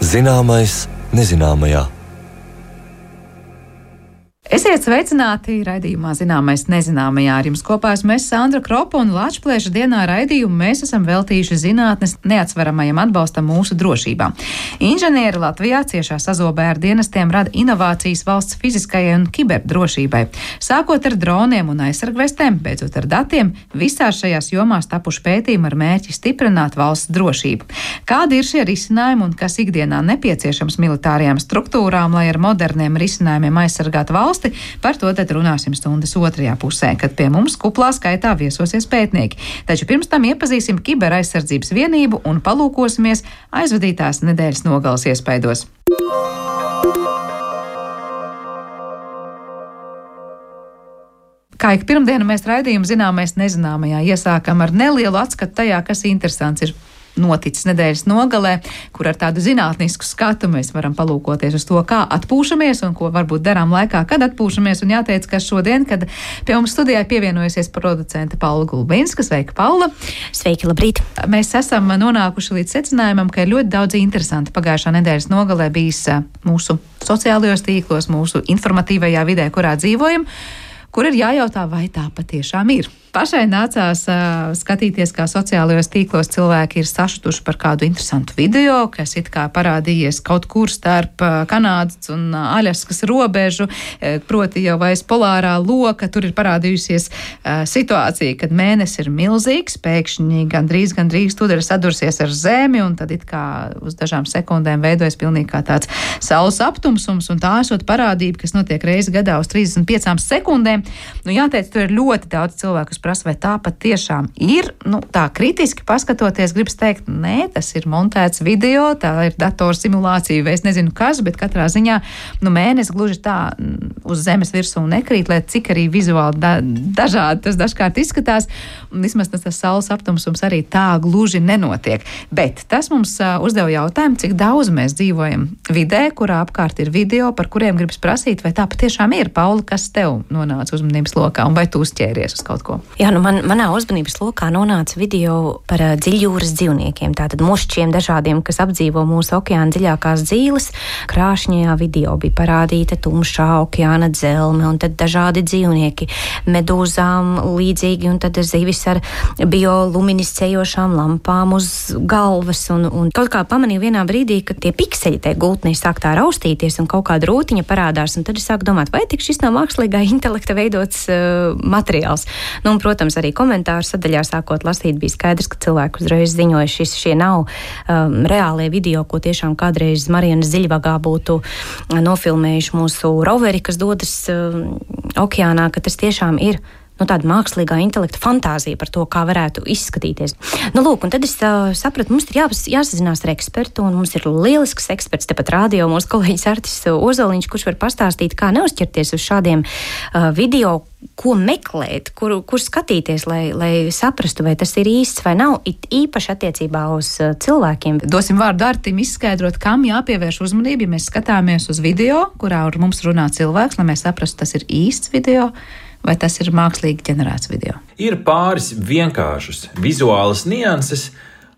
Zināmais nezināmajā. Esiet sveicināti raidījumā Zināmais nezināmajā. Ar jums kopā esmu Sandra Kropa un Lačplēša dienā raidījumu mēs esam veltījuši zinātnes neatsveramajam atbalstam mūsu drošībā. Inženieri Latvijā ciešā sazobē ar dienestiem rada inovācijas valsts fiziskajai un kiberdrošībai. Sākot ar droniem un aizsargvestēm, beidzot ar datiem, visās šajās jomās tapuši pētījumi ar mērķi stiprināt valsts drošību. Kādi ir šie risinājumi un kas ikdienā nepieciešams militārajām struktūrām, lai ar moderniem risinājumiem aizsargātu valsts? Par to tad runāsim stundas otrajā pusē, kad pie mums kuplā skaitā viesosies pētnieki. Taču pirms tam iepazīsim kiberaizsardzības vienību un palūkosimies aizvadītās nedēļas nogales iespaidos. Kā ik pirmdienu mēs raidījumu Zināmais nezināmajā iesākam ar nelielu atskatu tajā, kas interesants ir noticis nedēļas nogalē, kur ar tādu zinātnisku skatu mēs varam palūkoties uz to, kā atpūšamies un ko varbūt darām laikā, kad atpūšamies. Un jāteic, ka šodien, kad pie mums studijā pievienojusies producente Paula Gulbinska. Sveika, Paula! Sveiki, labrīt! Mēs esam nonākuši līdz secinājumam, ka ir ļoti daudz interesanti pagājušā nedēļas nogalē bijis mūsu sociālajos tīklos, mūsu informatīvajā vidē, kurā dzīvojam, kur ir jājautā, vai tā patiešām ir. Pašai nācās skatīties, kā sociālajos tīklos cilvēki ir sašutuši par kādu interesantu video, kas it kā parādījies kaut kur starp Kanādas un Aļaskas robežu, proti jau aiz polārā loka. Tur ir parādījusies situācija, kad mēnesis ir milzīgs, pēkšņi gandrīz tūdaļ sadursies ar zemi, un tad it kā uz dažām sekundēm veidojas pilnīgi kā tāds saules aptumsums, un tā esot parādība, kas notiek reizi gadā uz 35 sekundēm. Nu, jāteic, tur ir ļoti daudz cilvēku, prasa, vai tā pat tiešām ir. Nu, tā kritiski paskatoties, gribas teikt, nē, tas ir montēts video, tā ir datorsimulācija, vai es nezinu kas, bet katrā ziņā, mēnesis gluži tā uz zemes virsū nekrīt, lai cik arī vizuāli dažādi tas dažkārt izskatās, un vismaz tas saules aptumsums arī tā gluži nenotiek. Bet tas mums uzdeva jautājumu, cik daudz mēs dzīvojam vidē, kurā apkārt ir video, par kuriem gribas prasīt, vai tā patiešām ir. Paula, kas tev nonāca uzmanības lokā, un vai tu uzķēries uz kaut ko? Jā, manā uzmanības lokā nonāca video par dziļjūras dzīvniekiem, tātad mušķiem dažādiem, kas apdzīvo mūsu okeāna dziļākās dzīves. Krāšņajā video bija parādīta tumšā okeāna dzelme, un tad dažādi dzīvnieki, medūzām līdzīgi, un tad zivis ar bioluminiscējošām lampām uz galvas, un kaut kā pamanīju vienā brīdī, ka tie pikseļi tai gultnē sāk tā raustīties, un kaut kāda rūtiņa parādās, un tad es sāku domāt, vai tik šis nav mākslīgā intelekta veidots materiāls. Nu, un, protams, arī komentāru sadaļā sākot lasīt bija skaidrs, ka cilvēki uzreiz ziņoja, šie nav reālie video, ko tiešām kādreiz Marianas Dziļvagā būtu nofilmējuši mūsu roveri, kas dodas okeānā, ka tas tiešām ir tāda mākslīgā intelekta fantāzija par to, kā varētu izskatīties. Lūk, un tad es sapratu, mums ir jāsazinās ar ekspertu, un mums ir lielisks eksperts tepat rādio, mūsu kolēģis Artis Ozoliņš, kurš var pastāstīt, kā neuzķerties uz šādiem video, ko meklēt, kur skatīties, lai saprastu, vai tas ir īsts vai nav, it īpaši attiecībā uz cilvēkiem. Dosim vārdu Artim izskaidrot, kam jāpievērš uzmanība, ja mēs skatāmies uz video, kurā ar mums runā cilvēks, lai mēs saprastu, tas ir īsts video, vai tas ir mākslīgi ģenerēts video? Ir pāris vienkāršas vizuālas nianses,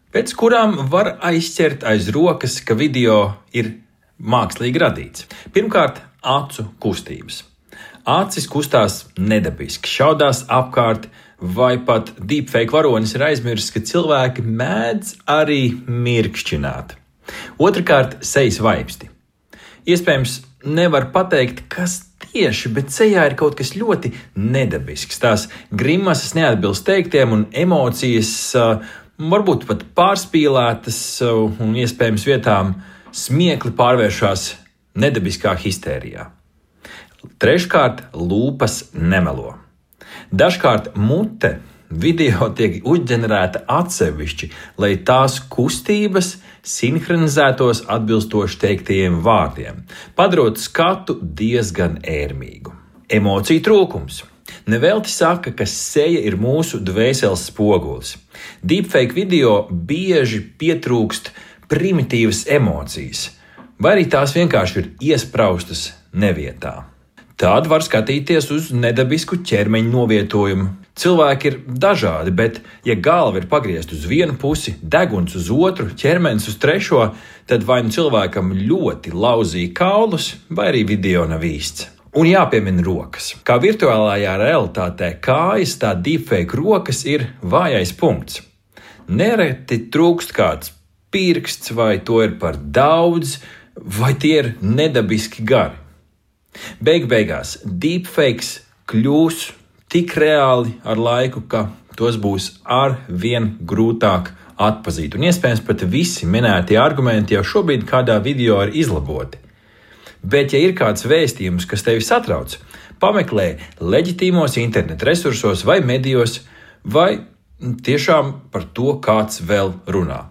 pēc kurām var aizķert aiz rokas, ka video ir mākslīgi radīts. Pirmkārt, acu kustības. Acis kustās nedabiski, šaudās apkārt, vai pat deepfake varonis ir aizmirsis, ka cilvēki mēdz arī mirkšķināt. Otrakārt, sejas vaipsti. Iespējams, nevar pateikt, kas tieši, bet sejā ir kaut kas ļoti nedabisks. Tās grimasas neatbilst teiktiem un emocijas varbūt pat pārspīlētas un iespējams vietām smiekli pārvēršās nedabiskā histērijā. Treškārt, lūpas nemelo. Dažkārt mute video tiek uzģenerēta atsevišķi, lai tās kustības sinhronizētos atbilstoši teiktajiem vārdiem, padarot skatu diezgan ērmīgu. Emociju trūkums. Nevelti saka, ka seja ir mūsu dvēseles spogulis. Deepfake video bieži pietrūkst primitīvas emocijas, vai arī tās vienkārši ir iespraustas nevietā. Tad var skatīties uz nedabisku ķermeņa novietojumu. Cilvēki ir dažādi, bet, ja galva ir pagriezta uz vienu pusi, deguns uz otru, ķermenis uz trešo, tad vai nu cilvēkam ļoti lauzīja kaulus, vai arī video nav īsts. Un jāpiemina rokas. Kā virtuālajā realitātē kājas, tā deepfake rokas ir vājais punkts. Nereti trūkst kāds pirksts, vai to ir par daudz, vai tie ir nedabiski gari. Beigās deepfakes kļūs tik reāli ar laiku, ka tos būs arvien grūtāk atpazīt. Un iespējams pat visi minētie argumenti jau šobrīd kādā video ir izlaboti. Bet, ja ir kāds vēstījums, kas tevi satrauc, pameklē leģitīmos internetu resursos vai medijos, vai tiešām par to kāds vēl runā.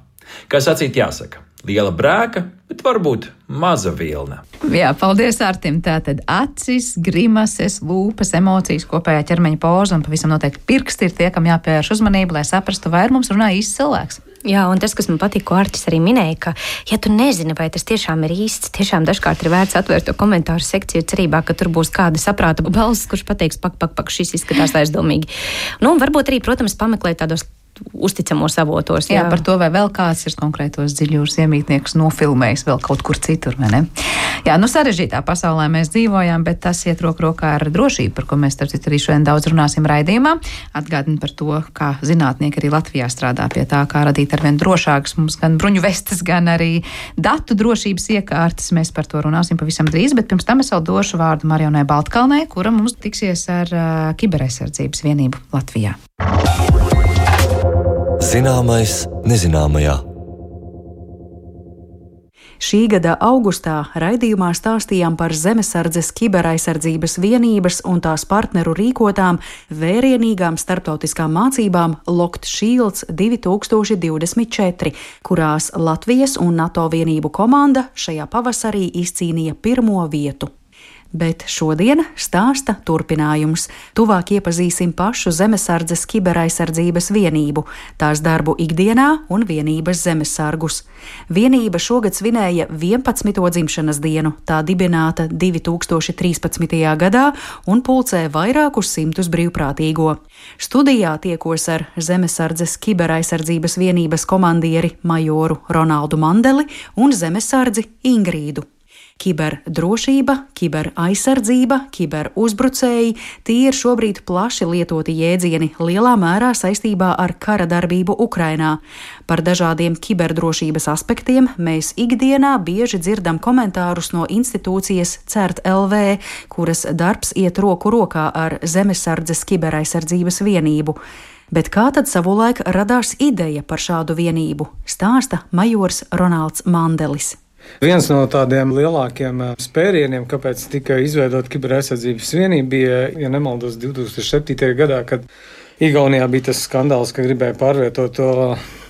Kā sacīt jāsaka, liela brēka, bet varbūt maza vilna. Jā, paldies Artim. Tātad acis, grimases, lūpas, emocijas, kopējā ķermeņa poza un pavisam noteikti pirksti ir tie, kam jāpievērš uzmanība, lai saprastu, vai ar mums runā īsts cilvēks. Jā, un tas, kas man patīk, ko Artis arī minēja, ka, ja tu nezini, vai tas tiešām ir īsts, tiešām dažkārt ir vērts atvērt to komentāru sekciju cerībā, ka tur būs kāda saprāta balss, kurš pateiks, pak, šis izskatās aizdomīgi. Nu, un varbūt arī, protams, pameklēt tādos uzticamos avotos. Jā, par to, vai vēl kāds ir konkrētos dziļjūras iemītniekus nofilmējis vēl kaut kur citur, vai ne? Jā, sarežģītā pasaulē mēs dzīvojam, bet tas iet roku rokā ar drošību, par ko mēs starp citu arī šodien daudz runāsim raidījumā. Atgādinu par to, kā zinātnieki arī Latvijā strādā pie tā, kā radīt arvien drošākas mums gan bruņu vestes, gan arī datu drošības iekārtas. Mēs par to runāsim pavisam drīz, bet pirms tam es vēl došu vārdu Marionai Baltkalnei, kura mums tiksies ar kiberaizsardzības vienību Latvijā. Zināmais nezināmajā. Šī gada augustā raidījumā stāstījām par Zemesardzes kiberaizsardzības vienības un tās partneru rīkotām vērienīgām starptautiskām mācībām Locked Shields 2024, kurās Latvijas un NATO vienību komanda šajā pavasarī izcīnīja pirmo vietu. Bet šodien stāsta turpinājums. Tuvāk iepazīsim pašu Zemesardzes kiberaizsardzības vienību, tās darbu ikdienā un vienības zemesargus. Vienība šogad svinēja 11. dzimšanas dienu, tā dibināta 2013. gadā un pulcē vairākus simtus brīvprātīgo. Studijā tiekos ar Zemesardzes kiberaizsardzības vienības komandieri majoru Ronaldu Mandeli un zemesardzi Ingrīdu. Kiberdrošība, kiberaizsardzība, kiberuzbrucēji – tie ir šobrīd plaši lietoti jēdzieni lielā mērā saistībā ar kara darbību Ukrainā. Par dažādiem kiberdrošības aspektiem mēs ikdienā bieži dzirdam komentārus no institūcijas CERT LV, kuras darbs iet roku rokā ar Zemesardzes kiberaizsardzības vienību. Bet kā tad savulaik radās ideja par šādu vienību, stāsta majors Ronalds Mandelis. Viens no tādiem lielākiem spērieniem, kāpēc tika izveidota kiberaizsardzības vienība, bija, ja nemaldos, 2007. gadā, kad Igaunijā bija tas skandāls, ka gribēja pārvietot to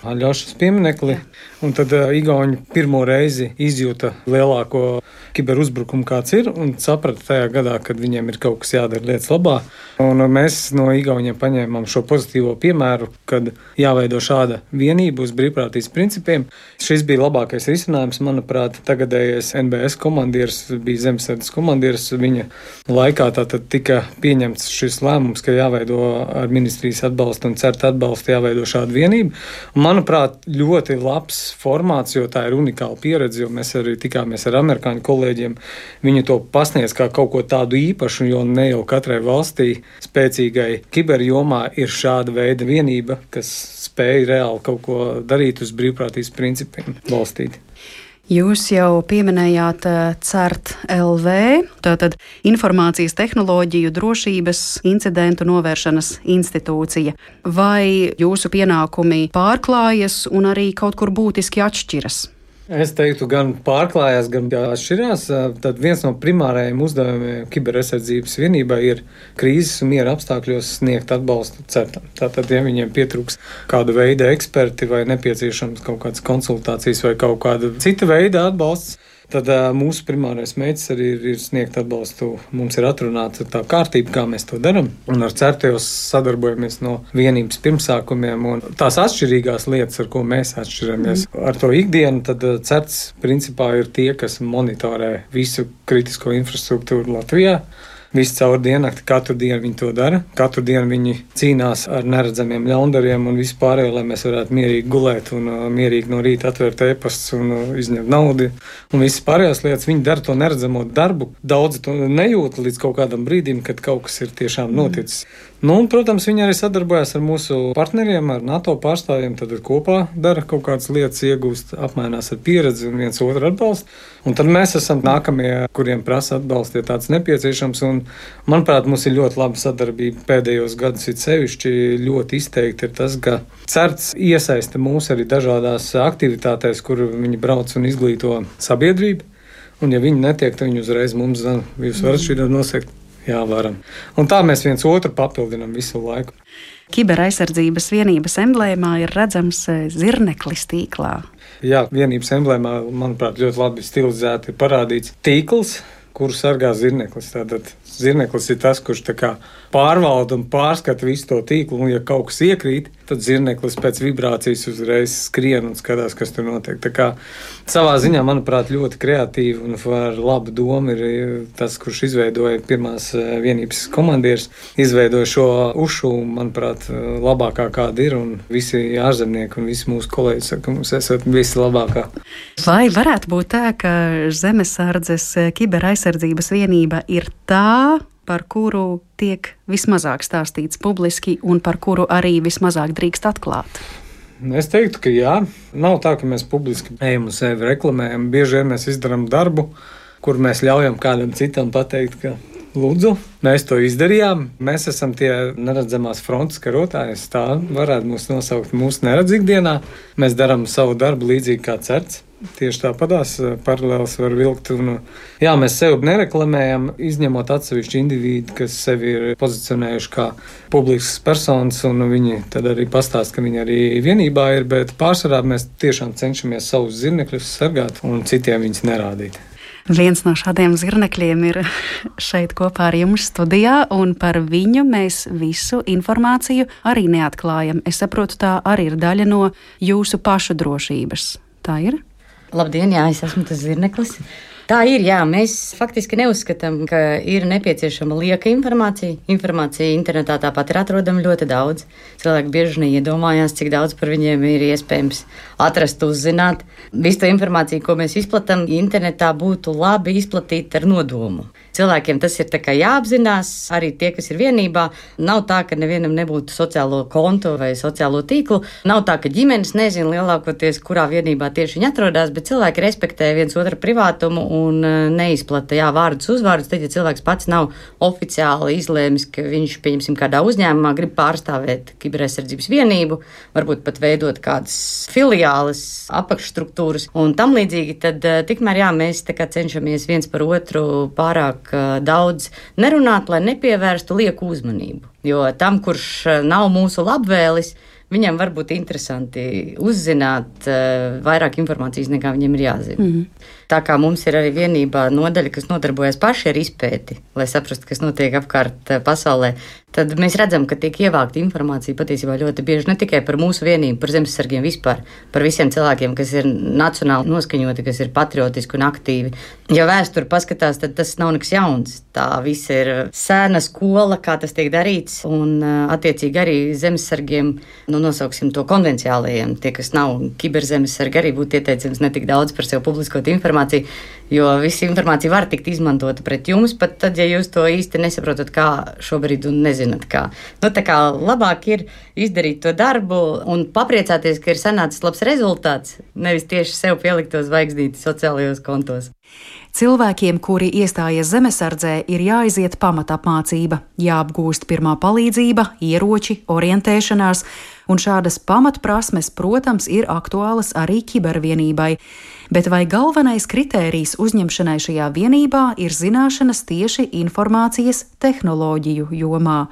Aļošas pieminekli, un tad Igauni pirmo reizi izjūta lielāko kiberuzbrukumu, kāds ir, un saprata tajā gadā, kad viņiem ir kaut kas jādara lietas labā. Un mēs no Igauniem paņēmām šo pozitīvo piemēru, kad jāveido šāda vienība uz brīvprātības principiem. Šis bija labākais risinājums, manuprāt, tagadējais NBS komandieris bija Zemesardzes komandieris. Viņa laikā tātad tika pieņemts šis lēmums, ka jāveido ar ministrijas atbalstu un CERT atbalstu jāveido šāda vienība. Un, manuprāt, ļoti labs formāts, jo tā ir unikāla pieredze, jo mēs arī tikāmies ar amerikāņu kolēģiem. Viņi to pasniedz kā kaut ko tādu īpašu, jo ne jau katrai valstī spēcīgai kiberjomā ir šāda veida vienība, kas spēj reāli kaut ko darīt uz brīvprātības principiem balstīt. Jūs jau pieminējāt CERT LV, tātad Informācijas tehnoloģiju drošības incidentu novēršanas institūcija. Vai jūsu pienākumi pārklājas un arī kaut kur būtiski atšķiras? Es teiktu, gan pārklājās, gan atšķirās. Tad viens no primārajiem uzdevumiem kiberaizsardzības vienībai ir krīzes un miera apstākļos sniegt atbalstu CERTam. Tātad, ja viņiem pietrūks kāda veida eksperti vai nepieciešams kaut kādas konsultācijas vai kaut kāda cita veida atbalsts, tad mūsu primārais mērķis arī ir sniegt atbalstu. Mums ir atrunāta tā kārtība, kā mēs to darām, un ar CERT sadarbojamies no vienības pirmsākumiem. Un tās atšķirīgās lietas, ar ko mēs atšķiramies ar to ikdienu, tad CERT principā ir tie, kas monitorē visu kritisko infrastruktūru Latvijā. visu caur diennakti, katru dienu viņi to dara. Katru dienu viņi cīnās ar neredzamiem ļaundariem un vispārējo, lai mēs varētu mierīgi gulēt un mierīgi no rīta atvērt e-pastus un izņemt naudu. Un visas pārējās lietas viņi dara to neredzamo darbu. Daudzi to nejūt līdz kaut kādam brīdim, kad kaut kas ir tiešām noticis. Nu, un, protams, viņi arī sadarbojas ar mūsu partneriem, ar NATO pārstāvjiem, tad kopā dara kaut kādas lietas, iegūst, apmainās ar pieredzi un viens otru atbalstu. Un tad mēs esam nākamie, kuriem prasa atbalstu, ja tāds nepieciešams. Un, manuprāt, mums ir ļoti laba sadarbība pēdējos gadus. Ir sevišķi ļoti izteikti ir tas, ka CERTS iesaista mūs arī dažādās aktivitātēs, kur viņi brauc un izglīto sabiedrību. Un, ja viņi netiek, tad viņi uzreiz mums zina, jūs varat šī nosegt. Jā, varam. Un tā mēs viens otru papildinām visu laiku. Kiberaizsardzības vienības emblēmā ir redzams zirneklis tīklā. Jā, vienības emblēmā, manuprāt, ļoti labi stilizēti ir parādīts tīkls, kuru sargā zirneklis. Tātad zirneklis ir tas, kurš tā kā pārvalda un pārskata visu to tīklu, un ja kaut kas iekrīt, tad zirneklis pēc vibrācijas uzreiz skrien un skatās, kas tur notiek. Tā kā savā ziņā, manuprāt, ļoti kreatīvi un ar labu domu ir tas, kurš izveidoja pirmās vienības komandieris, izveidoja šo ušu, manuprāt, labākā kāda ir, un visi ārzemnieki un visi mūsu kolēģi saka, ka mums esat visi labākā. Vai varētu būt tā, ka Zemesardzes kiberaizsardzības vienība ir tā, par kuru tiek vismazāk stāstīts publiski un par kuru arī vismazāk drīkst atklāt? Es teiktu, ka jā. Nav tā, ka mēs publiski ejam un sevi reklamējam. Bieži vien mēs izdarām darbu, kur mēs ļaujam kādam citam pateikt, ka lūdzu, mēs to izdarījām. Mēs esam tie neredzamās frontes karotāji. Tā varētu mūs nosaukt mūsu neredz ikdienā. Mēs darām savu darbu līdzīgi kā CERTS. Tieši tāpatās paralēlis var vilkt. Un, jā, mēs sevi nereklamējam, izņemot atsevišķu individu, kas sevi ir pozicionējuši kā publisks personas, un viņi tad arī pastāst, ka viņi arī vienībā ir, bet pārsvarā mēs tiešām cenšamies savus zirnekļus sargāt un citiem viņus nerādīt. Viens no šādiem zirnekļiem ir šeit kopā ar jums studijā, un par viņu mēs visu informāciju arī neatklājam. Es saprotu, tā arī ir daļa no jūsu pašu drošības. Tā ir? Labdien, jā, es esmu tas zirneklis. Tā ir, jā, mēs faktiski neuzskatām, ka ir nepieciešama lieka informācija. Informācija internetā tāpat ir atrodama ļoti daudz. Cilvēki bieži neiedomājās, cik daudz par viņiem ir iespējams atrast, uzzināt. Visu to informāciju, ko mēs izplatām internetā, būtu labi izplatīt ar nodomu. Cilvēkiem tas ir tā kā jāapzinās, arī tie, kas ir vienībā. Nav tā, ka nevienam nebūtu sociālo kontu vai sociālo tīklu. Nav tā, ka ģimenes nezina lielākoties, kurā vienībā tieši viņi atrodas, bet cilvēki respektē viens otru privātumu un neizplata vārdus, uzvārdus. Tad, ja cilvēks pats nav oficiāli izlēmis, ka viņš, pieņemsim, kādā uzņēmumā grib pārstāvēt kiberaizsardzības vienību, varbūt pat veidot kādas filiāles, apakšstruktūras un tam līdzīgi, tad tikmēr mēs tā kā cenšamies viens par otru pārāk daudz nerunāt, lai nepievērstu lieku uzmanību. Jo tam, kurš nav mūsu labvēlis, viņam var būt interesanti uzzināt vairāk informācijas, nekā viņam ir jāzina. Tā kā mums ir arī vienībā nodaļa, kas nodarbojas paši ar izpēti, lai saprastu, kas notiek apkārt pasaulē, tad mēs redzam, ka tiek ievākta informācija patiesībā ļoti bieži ne tikai par mūsu vienību, par zemesargiem vispār, par visiem cilvēkiem, kas ir nacionāli noskaņoti, kas ir patriotiski un aktīvi. Ja vēsturi paskatās, tad tas nav nekas jauns. Tā viss ir sēna skola, kā tas tiek darīts, un attiecīgi arī zemesargiem, nosauksim to konvenciālajiem, tie, kas nav kiberzemesargi, arī būtu ieteicams ne tik daudz par sevi publiskot informāciju, jo visa informācija var tikt izmantota pret jums, pat tad, ja jūs to īsti nesaprotat, kā šobrīd un nezināt kā. Tā kā labāk ir izdarīt to darbu un papriecāties, ka ir sanācis labs rezultāts, nevis tieši sev pielikt to zvaigznīti sociālajos kontos. Cilvēkiem, kuri iestājies zemesardzē, ir jāiziet pamatapmācība, jāapgūst pirmā palīdzība, ieroči, orientēšanās, un šādas pamatprasmes, protams, ir aktuālas arī kibervienībai. Bet vai galvenais kritērijs uzņemšanai šajā vienībā ir zināšanas tieši informācijas tehnoloģiju jomā?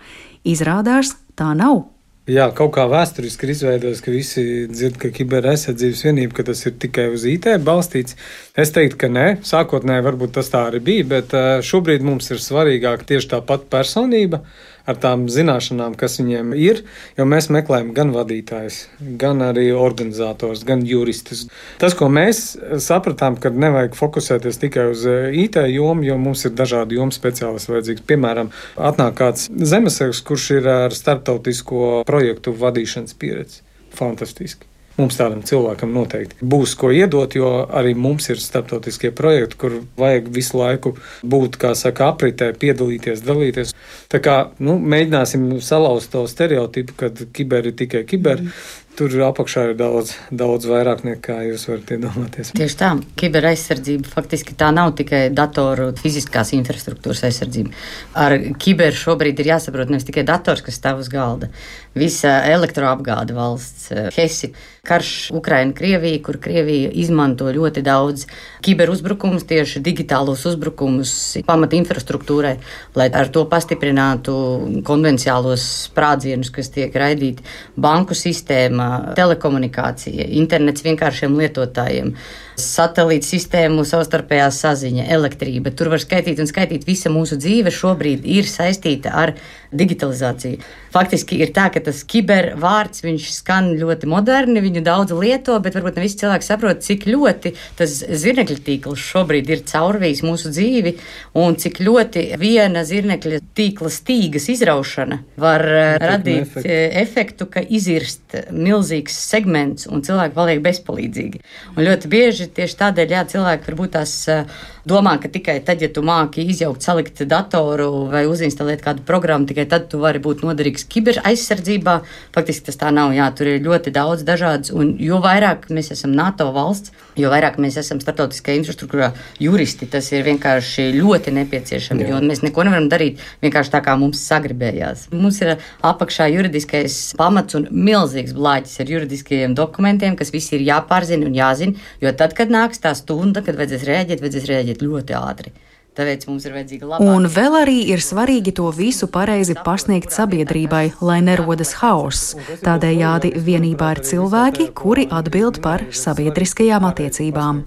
Izrādās, tā nav. Jā, kaut kā vēsturiski ir izveidots, ka visi dzird, ka kiberaizsardzības vienība, ka tas ir tikai uz IT balstīts. Es teiktu, ka nē, sākotnēji varbūt tas tā arī bija, bet šobrīd mums ir svarīgāk tieši tā pati personība, ar tām zināšanām, kas viņiem ir, jo mēs meklējam gan vadītājus, gan arī organizators, gan juristus. Tas, ko mēs sapratām, ka nevajag fokusēties tikai uz IT jomu, jo mums ir dažādi jomu speciālisti vajadzīgs. Piemēram, atnāk kāds zemesargs, kurš ir ar starptautisko projektu vadīšanas pieredzi. Fantastiski. Mums tādam cilvēkam noteikti būs ko iedot, jo arī mums ir starptautiskie projekti, kur vajag visu laiku būt, kā saka, apritē, piedalīties, dalīties. Tā kā, mēģināsim salauzt to stereotipu, kad kiber ir tikai kiber. Tur apakšā ir daudz vairāk nekā jūs varat iedomāties. Tieši tā, kiberaizsardzība faktiski tā nav tikai datoru fiziskās infrastruktūras aizsardzība. Ar kiberu šobrīd ir jāsaprot nevis tikai dators, kas stāv uz galda. Visa elektroapgāde valsts, HESI, karš Ukraina, Krievija, kur Krievija izmanto ļoti daudz kiberuzbrukumus, tieši digitālos uzbrukumus pamata infrastruktūrai, lai ar to pastiprinātu konvenciālos sprādzienus, kas tiek raidīti banku sistēmā, telekomunikācija, internets vienkāršiem lietotājiem, satelīta sistēmu, savstarpējā saziņa, elektrība. Tur var skaitīt un skaitīt. Visa mūsu dzīve šobrīd ir saistīta ar digitalizāciju. Faktiski ir tā, ka tas kibervārds, viņš skan ļoti moderni, viņu daudz lieto, bet varbūt ne visi cilvēki saprot, cik ļoti tas zirnekļa tīkls šobrīd ir caurvījis mūsu dzīvi un cik ļoti viena zirnekļa tīkla stīgas izraušana var radīt efektu, ka izirst milzīgs segments un cilvēki paliek bezpalīdzīgi. Un ļoti bieži tieši tādēļ, cilvēki varbūt tās domā, ka tikai tad, ja tu māki izjaukt, salikt datoru vai uzinstalēt kādu programmu, tikai tad tu vari būt noderīgs kiber aizsardzībā. Faktiski tas tā nav, tur ir ļoti daudz dažādas, un jo vairāk mēs esam NATO valsts, jo vairāk mēs esam starptautiskajā infrastruktūrā juristi, tas ir vienkārši ļoti nepieciešami, jo mēs neko nevaram darīt vienkārši tā, kā mums sagribējās. Mums ir apakšā juridiskais pamats un milzīgs blāķis ar juridiskajiem dokumentiem, kas visi ir jāpārzina un jāzina, jo tad, kad nāks tā stunda, kad vajadzēs rēģēt ļoti ātri. Tāpēc mums ir vajadzīga labāka. Un vēl arī ir svarīgi to visu pareizi pasniegt sabiedrībai, lai nerodas haoss. Tādējādi vienībā ir cilvēki, kuri atbild par sabiedriskajām attiecībām.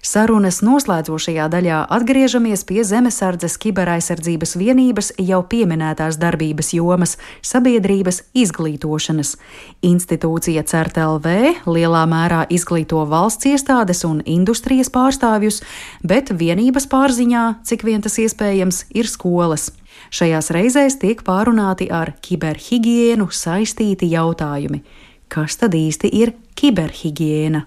Sarunas noslēdzošajā daļā atgriežamies pie Zemesardzes kiberaizsardzības vienības jau pieminētās darbības jomas - sabiedrības izglītošanas. Institūcija CERT-LV lielā mērā izglīto valsts iestādes un industrijas pārstāvjus, bet vienības pārziņā, cik vien tas iespējams, ir skolas. Šajās reizēs tiek pārunāti ar kiberhigiēnu saistīti jautājumi. Kas tad īsti ir kiberhigiēna?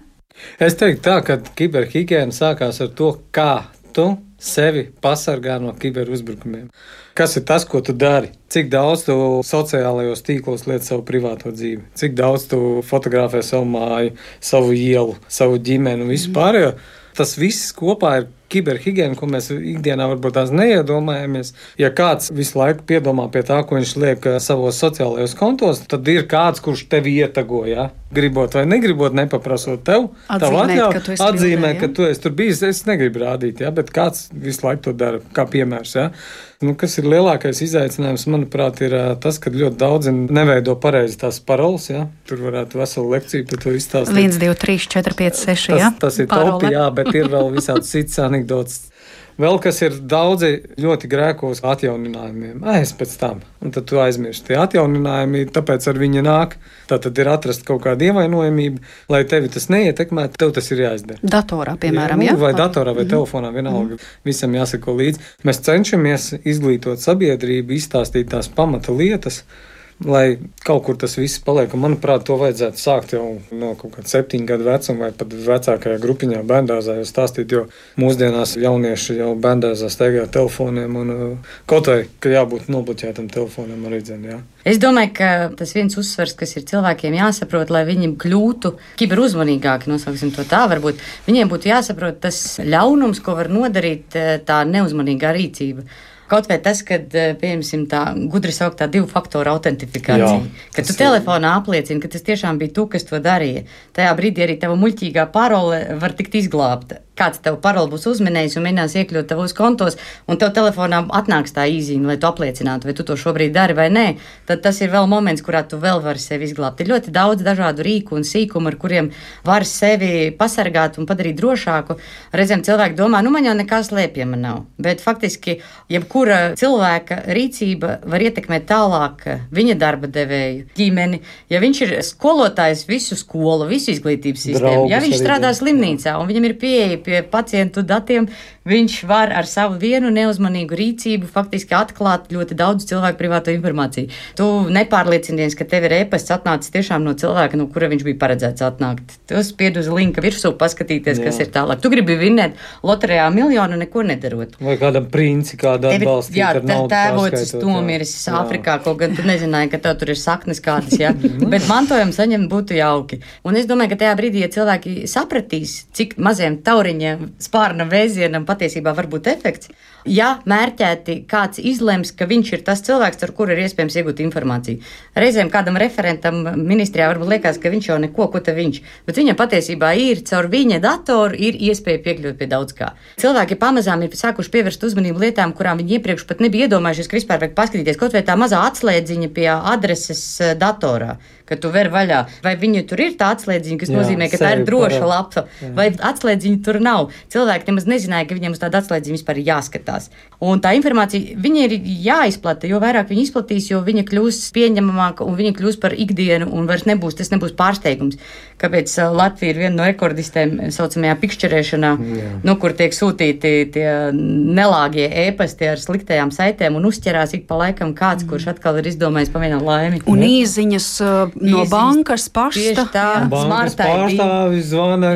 Es teiktu tā, ka kiberhigiēna sākās ar to, kā tu sevi pasargā no kiberuzbrukumiem. Kas ir tas, ko tu dari? Cik daudz tu sociālajos tīklos lieti savu privāto dzīvi? Cik daudz tu fotografē savu māju, savu ielu, savu ģimeni un visu pārējo? Tas viss kopā ir kiberhigiēna, ko mēs ikdienā varbūt tās neiedomājamies. Ja kāds visu laiku piedomā pie tā, ko viņš liek savos sociālajos kontos, tad ir kāds, kurš tevi ietago, gribot vai negribot, nepaprasot tev. Atzīmē, ka tu esi tur bijis. Es negribu rādīt, bet kāds visu laiku to dara, kā piemērs. Kas ir lielākais izaicinājums, manuprāt, ir tas, ka ļoti daudzi neveido pareizi tās paroles. Tur varētu veselu lekciju par to izstāstīt. 1, 2, 3, 4, 5, 6. Tas ir topi, bet ir vēl visādi cits anekdots. Vēl kas ir daudzi ļoti grēkos atjauninājumiem. Es pēc tam. Un tad tu aizmirsti. Tie atjauninājumi, tāpēc ar viņa nāk. Tātad ir atrast kaut kāda ievainojamība, lai tevi tas neietekmētu, tev tas ir jāizdara. Datorā, piemēram, vai datorā, vai telefonā, vienalga. Visam jāseko līdzi. Mēs cenšamies izglītot sabiedrību, izstāstīt tās pamata lietas, lai kaut kur tas viss paliek. Un, manuprāt, to vajadzētu sākt jau no kaut kāda 7 gadu vecuma vai pat vecākajā grupiņā bērndārzā jau stāstīt, jo mūsdienās jaunieši jau bērndārzā steigā telefoniem un kaut vai, ka jābūt nobloķētam telefonam arī dzen, Es domāju, ka tas viens uzsvars, kas ir cilvēkiem jāsaprot, lai viņi kļūtu kiberuzmanīgāki, nosauksim to tā, varbūt viņiem būtu jāsaprot tas ļaunums, ko var nodarīt tā neuzmanīgā rīcība. Kaut vai tas, kad, piemēram, tā gudri sauktā 2 faktoru autentifikācija, kad tu telefonā apliecini, ka tas tiešām bija tu, kas to darīja. Tajā brīdī arī tava muļķīgā parole var tikt izglābta. kāds tev paroli būs uzminējis un mēģinās iekļūt tavos kontos, un tev telefonā atnāks tā īziņa, lai tu apliecinātu, vai tu to šobrīd dari vai nē, tad tas ir vēl moments, kurā tu vēl vari sevi izglābt. Ir ļoti daudz dažādu rīku un sīkumu, ar kuriem var sevi pasargāt un padarīt drošāku. Reizēm cilvēki domā, man jau nekā slēpjama nav, bet faktiski jebkura cilvēka rīcība var ietekmēt tālāk viņa darba devēju, ģimeni. Ja viņš ir skolotājs visu skolu, visu izglītības sistēmu, ja viņš strādā slimnīcā un viņam ir pieeja pie pacientu datiem, viņš var ar savu vienu neuzmanīgu rīcību faktiski atklāt ļoti daudz cilvēku privāto informāciju. Tu nepārliecinies, ka tev ir e-pasts atnācis tiešām no cilvēka, no kura viņš bija paredzēts atnākt. Tu spied uz linka virsū paskatīties, kas ir tālāk. Tu gribi vinnēt loterijā miljonu, neko nedarot. Vai kādam princi kādu atbalstīt ar naudu tēvocis nomiris Āfrikā, kaut gan tu nezināji, ka tev tur ir saknes kādas, jā. Bet mantojumu saņemt būtu jauki. Un es domāju, ka tajā brīdī, ja cilvēki sapratīs, cik maziem tauriņiem, spārna vēzienam patiesībā var būt efekts, ja mērķēti kāds izlems, ka viņš ir tas cilvēks, ar kuru ir iespējams iegūt informāciju. Reizēm kādam referentam ministrijā varbūt liekas, ka viņš jau neko, ko te viņš, bet viņam patiesībā ir, caur viņa datoru ir iespēja piekļūt pie daudz kā. Cilvēki pamazām ir sākuši pievērst uzmanību lietām, kurām viņi iepriekš pat nebija iedomājušies, ka vispār vajag paskatīties, kaut vai tā mazā atslēdziņa pie adreses datorā, ka tu ver vaļā. Vai viņa tur ir tā atslēdziņa, kas nozīmē, ka tā ir droša lapa, vai atslēdziņa tur nav. Cilvēki nemaz nezināja, ka viņiem uz tādu atslēdziņu vispār jāskatās. Un tā informācija, viņa ir jāizplata, jo vairāk viņa izplatīs, jo viņa kļūs pieņemamāka un viņa kļūs par ikdienu un vairs tas nebūs pārsteigums. Kāpēc Latvija ir viena no rekordistēm saucamajā pikšķerēšanā, kur tiek sūtīti tie nelāgie ēpasti ar sliktajām saitēm un uzķerās ik pa laikam kāds, kurš atkal ir izdomājis pavienot laimi. Un īziņas no bankas pašta. Tā, bankas pārstāvis zvana,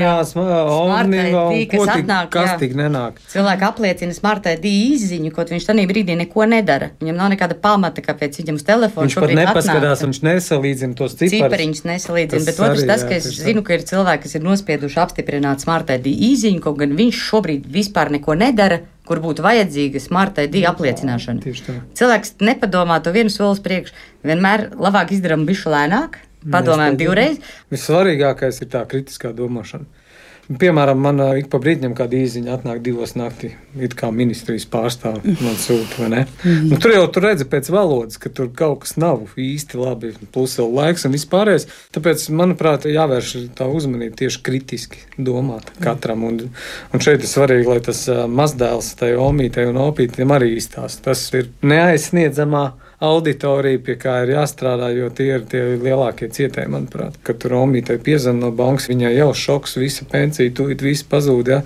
kas tik nenāk. Cilvēki apliecina Smart ID īziņu, kaut viņš tanī brīdī neko nedara. Viņam nav nekāda pamata, kāpēc viņam uz telefonu viņš pat nepaskatās, viņš nesalīdzina tos cipariņus nesalīdzina, bet otrs tas, ka es zinu, ka ir cilvēki, kas ir nospieduši apstiprināt Smart ID īziņu, kaut gan viņš šobrīd vispār neko nedara, kur būtu vajadzīga Smart ID apliecināšana. Cilvēks nepadomā to vienu solis priekš, vienmēr labāk izdarām bišķi lēnāk, padomājam divreiz. Vissvarīgākais ir tā kritiskā domāšana. Piemēram, man ik pa brīdņam kāda īziņa atnāk 2 naktī, it kā ministrijas pārstāvi man sūta, vai ne? Tur jau tu redzi pēc valodas, ka tur kaut kas nav īsti labi, plus vēl laiks un vispārējais. Tāpēc, manuprāt, jāvērš tā uzmanība tieši kritiski domāt katram. Un šeit ir svarīgi, lai tas mazdēls tai omītei un opītiem arī izstāst. Tas ir neaizsniedzamā auditorija, pie kā ir jāstrādā, jo tie ir tie lielākie cietēji, manuprāt. Kad tur omītei piezvan no bankas, viņai jau šoks, visa pensija, tūlīt viss pazūd, ja?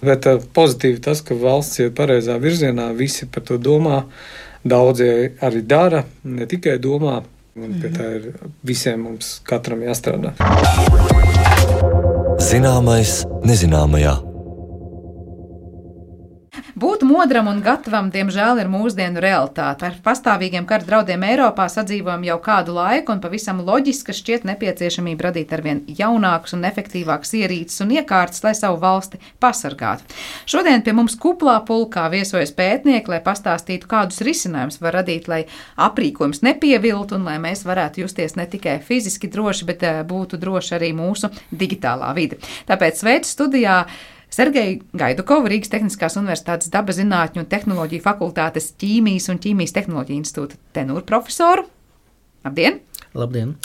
Bet pozitīvi tas, ka valsts iet pareizā virzienā, visi par to domā, daudzie arī dara, ne tikai domā, un pie tā ir visiem mums katram jāstrādā. Zināmais nezināmajā. Būt modram un gatavam, diemžēl, ir mūsdienu realitāte. Ar pastāvīgiem kara draudiem Eiropā sadzīvojam jau kādu laiku, un pavisam loģiski šķiet nepieciešamība radīt arvien jaunākus un efektīvākus ierīces un iekārtas, lai savu valsti pasargātu. Šodien pie mums kuplā pulkā viesojas pētnieki, lai pastāstītu, kādus risinājumus var radīt, lai aprīkojums nepieviltu un lai mēs varētu justies ne tikai fiziski droši, bet būtu droši arī mūsu digitālā vide. Tāpēc sveicu studijā Sergeju Gaidukovu, Rīgas Tehniskās Universitātes Dabazinātņu un tehnoloģiju fakultātes ķīmijas un ķīmijas tehnoloģiju institūta tenūru profesoru. Labdien! Labdien!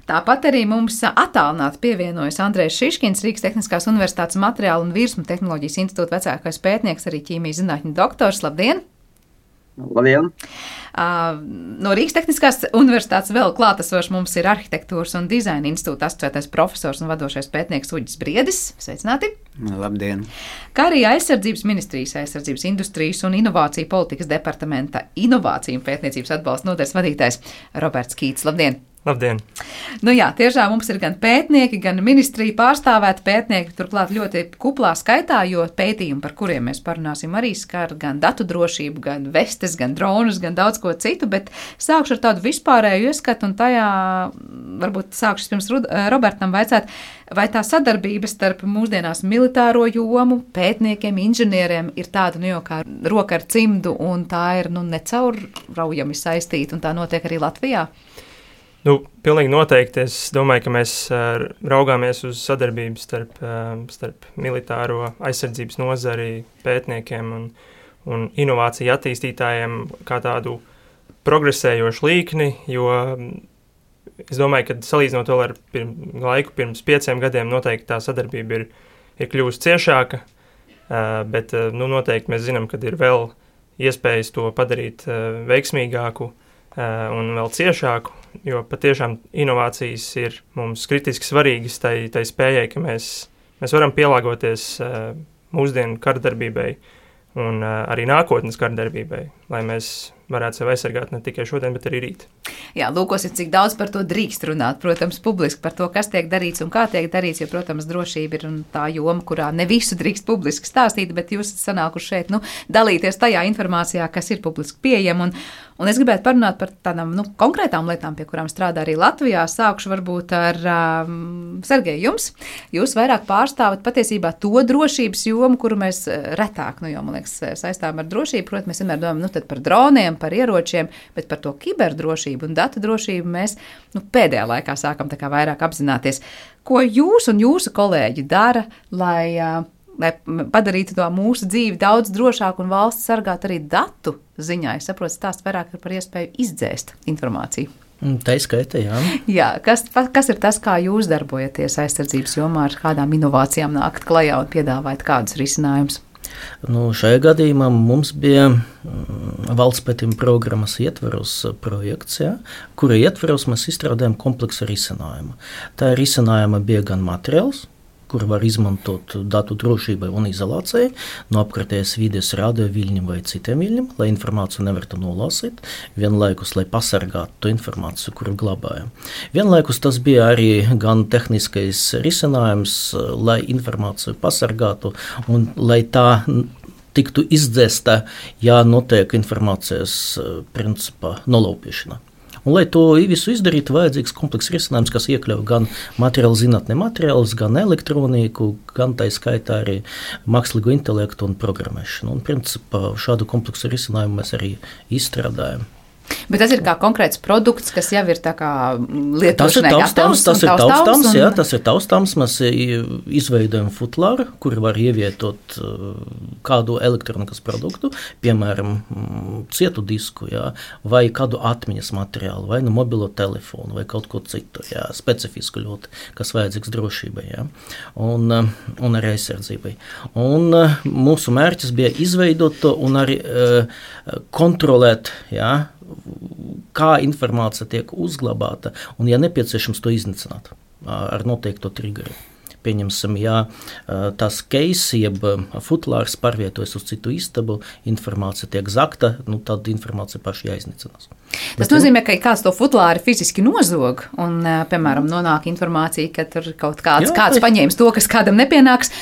Tāpat arī mums attālināti pievienojas Andrejs Šiškins, Rīgas Tehniskās Universitātes materiālu un virsmu tehnoloģijas institūta vecākais pētnieks, arī ķīmijas zinātņu doktors. Labdien! Labdien! No Rīgas Tehniskās Universitātes vēl klātesošs mums ir Arhitektūras un dizaina institūta asociētais profesors un vadošais pētnieks Uģis Briedis. Sveicināti! Labdien! Kā arī Aizsardzības ministrijas, Aizsardzības industrijas un inovāciju politikas departamenta inovāciju un pētniecības atbalsta nodaļas vadītājs Roberts Kīts. Labdien! Labdien! Nu jā, tiešām mums ir gan pētnieki, gan ministrija pārstāvēti pētnieki, turklāt ļoti kuplā skaitā, jo pētījumi, par kuriem mēs parunāsim, arī skar gan datu drošību, gan vestes, gan dronus, gan daudz ko citu, bet sākšu ar tādu vispārēju ieskatu, un tajā varbūt sākšu pirms Robertam vaicāt, vai tā sadarbība starp mūsdienās militāro jomu, pētniekiem, inženieriem ir tāda, jau kā roka ar cimdu, un tā ir, necaurraujami saistīta, un tā notiek arī Latvijā? Pilnīgi noteikti. Es domāju, ka mēs raugāmies uz sadarbību starp militāro aizsardzības nozari, pētniekiem un inovāciju attīstītājiem kā tādu progresējošu līkni, jo es domāju, ka salīdzinot vēl ar laiku pirms 5 gadiem, noteikti tā sadarbība ir kļuvusi ciešāka, bet noteikti mēs zinām, ka ir vēl iespējas to padarīt veiksmīgāku un vēl ciešāku, jo patiešām inovācijas ir mums kritiski svarīgas tai spējai, ka mēs varam pielāgoties mūsdienu kardarbībai un arī nākotnes kardarbībai, lai mēs varētu sevi aizsargāt ne tikai šodien, bet arī rīt. Jā, lūkosim, cik daudz par to drīkst runāt, protams, publiski par to, kas tiek darīts un kā tiek darīts, jo, protams, drošība ir tā joma, kurā ne visu drīkst publiski stāstīt, bet jūs esat sanākuši šeit, dalīties tajā informācijā, kas ir publiski pieejama, un es gribētu parunāt par tādām, konkrētām lietām, pie kurām strādā arī Latvijā. Sākšu varbūt ar Sergeju jums. Jūs vairāk pārstāvat patiesībā to drošības jomu, kuru mēs retāk, jo, man liekas, saistām ar drošību, protams, mēs vienmēr domājam, tad par droniem, par ieročiem, bet par to kiberdrošību un datu drošību mēs pēdējā laikā sākam tā kā vairāk apzināties. Ko jūs un jūsu kolēģi dara, lai padarītu to mūsu dzīvi daudz drošāku un valsts sargāt arī datu ziņā? Es saprotu, stāst vairāk par iespēju izdzēst informāciju. Tā izskaita, jā. Jā, kas ir tas, kā jūs darbojaties aizsardzības jomā, ar kādām inovācijām nākt klajā un piedāvāt kādus risinājumus? Šajā gadījumā mums bija valsts pētījuma programmas ietveros projekts, kura ietveros mēs izstrādājam kompleksu risinājumu. Tā risinājuma bija gan materiāls, kur var izmantot datu drošībai un izolācijai no apkārtējas vides radioviļņiem vai citiem viļņiem, lai informāciju nevarētu nolasīt, vienlaikus, lai pasargātu to informāciju, kuru glabājam. Vienlaikus tas bija arī gan tehniskais risinājums, lai informāciju pasargātu un lai tā tiktu izdzēsta, ja notiek informācijas principā nolaupīšana. Un, lai to visu izdarītu, vajadzīgs komplekss risinājums, kas iekļauj gan materiālu zinātni materiālus, gan elektroniku, gan tā skaitā arī mākslīgo intelektu un programmēšanu. Un, principā, šādu kompleksu risinājumu mēs arī izstrādājam. Bet tas ir kā konkrēts produkts, kas jau ir tā kā lietošanai gatavs? Tas ir taustāms. Mēs izveidojam futlāru, kur var ievietot kādu elektronikas produktu, piemēram, cietu disku, vai kādu atmiņas materiālu, vai mobilo telefonu, vai kaut ko citu, specifisku ļoti, kas vajadzīgs drošībai, un arī aizsardzībai. Un mūsu mērķis bija izveidot to un arī kontrolēt, kā informācija tiek uzglabāta un, ja nepieciešams, to iznīcināt ar noteikto triggeru. Pieņemsim, tas case, jeb futlārs pārvietojas uz citu istabu, informācija tiek zakta, tad informācija paši jāiznīcinās. Tas nozīmē, ka kāds to futlāri fiziski nozog un, piemēram, nonāk informācija, ka tur kaut kāds paņēmis to, kas kādam nepienāks.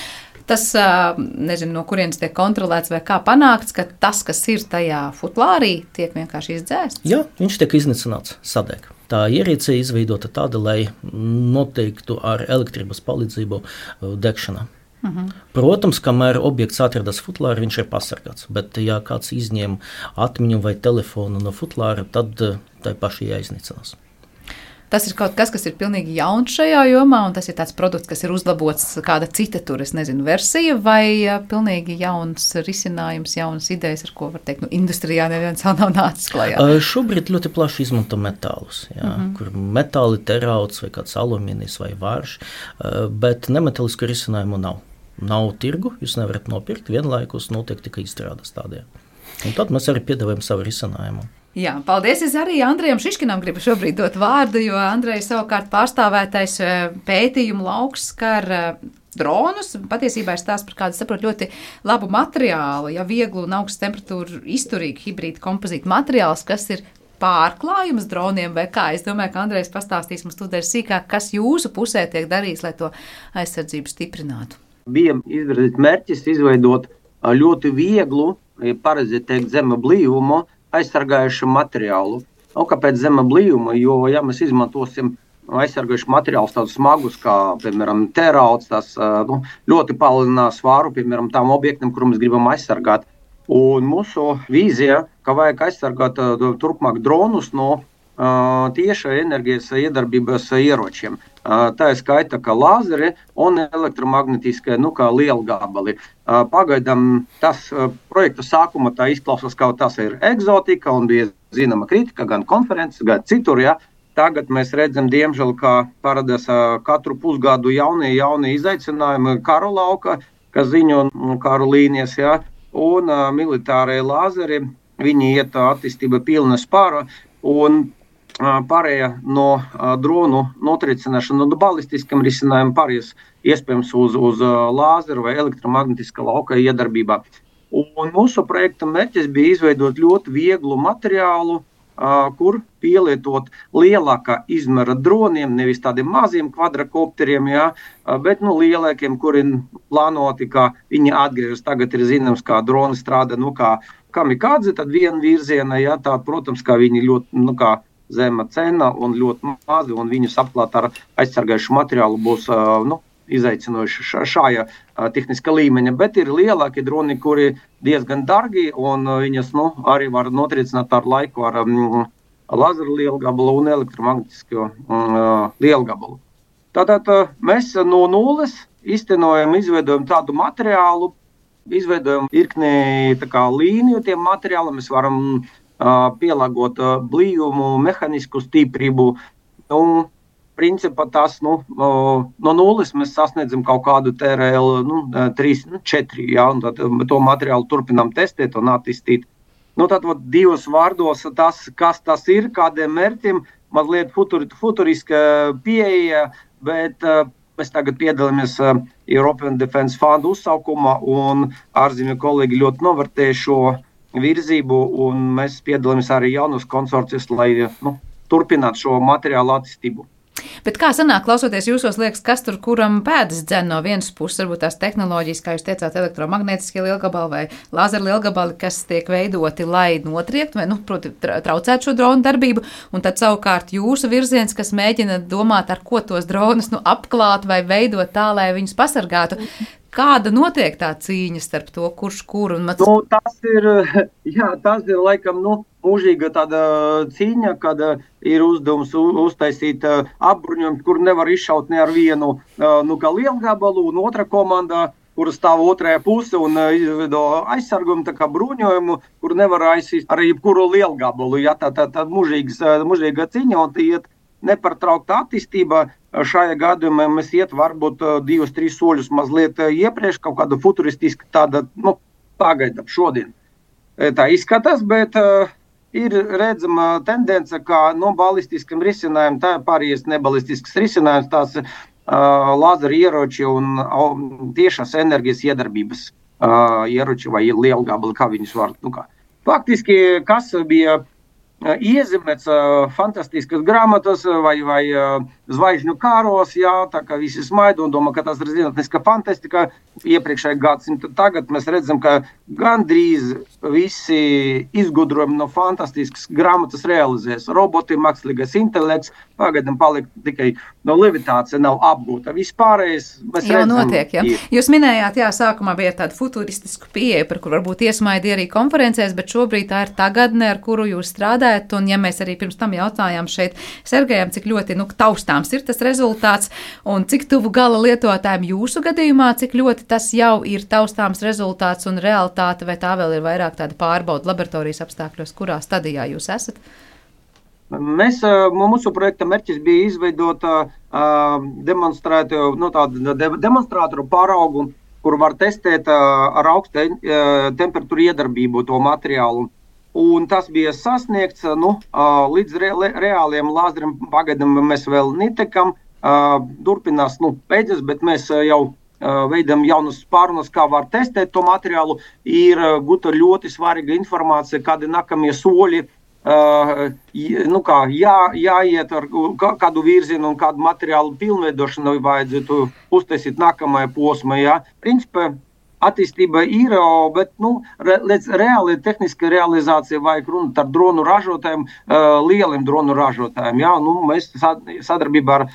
Tas, nezinu, no kurienes tiek kontrolēts vai kā panākts, ka tas, kas ir tajā futlārī, tiek vienkārši izdzēsts? Jā, viņš tiek iznīcināts, sadeg. Tā ierīce izveidota tāda, lai noteiktu ar elektrības palīdzību degšana. Protams, kamēr objekts atrodas futlārā, viņš ir pasargāts, bet ja kāds izņem atmiņu vai telefonu no futlāra, tad tai paši jāiznīcinās. Tas ir kaut kas, kas ir pilnīgi jauns šajā jomā, un tas ir tāds produkts, kas ir uzlabots kāda cita versija, vai pilnīgi jauns risinājums, jaunas idejas, ar ko var teikt, industrijā neviens vēl nav nācis klajā? Šobrīd ļoti plaši izmanto metālus, kur metāli terauds vai kāds alumīnijas vai vārš, bet nemetālisku risinājumu nav. Nav tirgu, jūs nevarat nopirkt, vienlaikus notiek tikai izstrādes tādiem. Un tad mēs arī piedāvājam savu risinājumu. Jā, paldies. Es arī Andrejam Šiškinam gribu šobrīd dot vārdu, jo Andreja savukārt pārstāvētais pētījumu lauks skar dronus. Patiesībā ir stāsts par kādu, saprotu, ļoti labu materiālu, vieglu un augstu temperatūru izturīgu hibrīdu kompozītu materiāls, kas ir pārklājums droniem vai kā. Es domāju, ka Andrejs pastāstīs mums tūdaļ sīkāk, kas jūsu pusē tiek darīts, lai to aizsardzību stiprinātu. Bija izvirzīts mērķis izveidot ļoti vieglu, pareizi teikt, zema blīvumu aizsargājušu materiālu. Kāpēc zema blīvuma? Jo, ja mēs izmantosim aizsargājušu materiālus tādus smagus, kā, piemēram, terauds, tas ļoti palielinās svāru, piemēram, tām objektiem, kur mēs gribam aizsargāt. Un mūsu vīzija, ka vajag aizsargāt turpmāk dronus no tieša enerģijas iedarbības ieročiem. Tā ir skaita kā lāzeri un elektromagnetiskie, kā lielgabali. Pagaidām tas projekta sākuma tā izklausās, ka tas ir egzotika un bija zināma kritika gan konferences, gan citur, ja. Tagad mēs redzam, diemžēl, kā parādās katru pusgadu jaunie izaicinājumi karu lauka, kas ziņo karu līnijas, ja, un militārie lāzeri, viņi iet attīstība pilna spāra, un pārējā no dronu notricināšana no balistiskam risinājumam pārējās iespējams uz lāzeru vai elektromagnetiskā lauka iedarbībā. Un mūsu projekta mērķis bija izveidot ļoti vieglu materiālu, kur pielietot lielākā izmēra droniem, nevis tādiem maziem kvadrakopteriem, ja, bet lielākiem, kuri plānoti, kā viņi atgriežas. Tagad ir zināms, kā droni strādā, kā kamikādze, tad viena virziena, ja, tā, protams, kā viņi ļoti, kā zema cena un ļoti mazi, un viņus apklāt ar aizsargājušu materiālu būs izaicinoši šajā tehniskā līmeņa, bet ir lielāki droni, kuri diezgan dargi, un viņas arī var notricināt ar laiku ar lazeru lielgabalu un elektromagnetisko lielgabalu. Tātad mēs no nulles izveidojam tādu materiālu, izveidojam virkni līniju tiem materiālam, mēs varam pielāgot blīvumu, mehanisku stiprību. Principā tas no nulles mēs sasniedzam kaut kādu TRL 3, 4, ja, un tad to materiālu turpinām testēt un attīstīt. Tad divos vārdos tas, kas tas ir, kādiem mērķiem, mazliet futuriska pieeja, bet mēs tagad piedalāmies European Defense Fund uzsaukumā, un ārzemju kolēģi ļoti novērtē šo virzību, un mēs piedalāmies arī jaunos konsorcijos, lai turpinātu šo materiālu attīstību. Bet kā sanāk, klausoties jūsos, liekas, kas tur kuram pēdas dzen no vienas puses, varbūt tās tehnoloģijas, kā jūs teicāt, elektromagnetiskie lielgabali vai lāzeru lielgabali, kas tiek veidoti, lai notriektu vai, proti, traucētu šo dronu darbību, un tad savukārt jūsu virziens, kas mēģina domāt, ar ko tos dronus apklāt vai veidot tā, lai viņus pasargātu. Kāda notiek tā cīņa starp to, kurš kuru? Tas ir laikam mūžīga tāda cīņa, kad ir uzdevums uztaisīt apbruņojumu, kur nevar izšaut ne ar vienu kā lielgabalu, un otra komandā, kur stāv otrajā puse un izveido aizsargumu, tā kā bruņojumu, kur nevar aizsist ar jebkuru lielgabalu. Ja, tā mūžīga cīņa, un iet nepārtraukta attīstība. Šajā gadījumā mēs iet varbūt 2-3 soļus mazliet iepriekš, kaut kāda futuristiska tāda, pagaidām šodien. Tā izskatās, bet ir redzama tendence, ka balistiskam risinājumam, tā pārējais nebalistisks risinājums, tās lāzeru ieroči un tiešās enerģijas iedarbības ieroči vai lielgabali, kā viņus var. Faktiski, kas bija iezīmēts fantastiskas grāmatas vai zvaigžņu kāros, jā, tā kā visi smaida un domā, ka tas ir zinātniska fantastika iepriekšējā gadsimta. Tagad mēs redzam, ka gandrīz visi izgudrojumi no fantastiskas grāmatas realizēs. Roboti, mākslīgais intelekts, pagaidām paliek tikai levitācija nav apgūta. Vispārējais mēs jau redzam. Notiek, ja. Jūs minējāt, sākumā bija tāda futuristisku pieeja, par kur varbūt iesmaidi arī konferencēs, bet šobrīd tā ir tagadne, ar kuru jūs strādājat, un ja mēs arī pirms tam jautājām šeit Sergejam, cik ļoti taustāms ir tas rezultāts, un cik tuvu gala lietotājiem jūsu gadījumā, cik ļoti tas jau ir taustāms rezultāts un realitāte, vai tā vēl ir vairāk tāda pārbauda laboratorijas apstākļos, kurā stadijā jūs esat? Mūsu projekta mērķis bija izveidot demonstrātoru pāraugu, kur var testēt ar augstu temperatūru iedarbību to materiālu. Un tas bija sasniegts, līdz reāliem lāzeriem pagaidām mēs vēl netekam, turpinās, beidzas, bet mēs jau veidam jaunas pārunas, kā var testēt to materiālu. Ir gūta ļoti svarīga informācija, kādi nākamie soļi, jāiet ar kādu virzienu un kādu materiālu pilnveidošanu vajadzētu uztaisīt nākamajā posmā. Ja. Principā attīstība ir, bet līdz reāli tehniska realizācija vajag runāt ar dronu ražotājiem, lieliem dronu ražotājiem. Ja. Mēs sadarbībā ar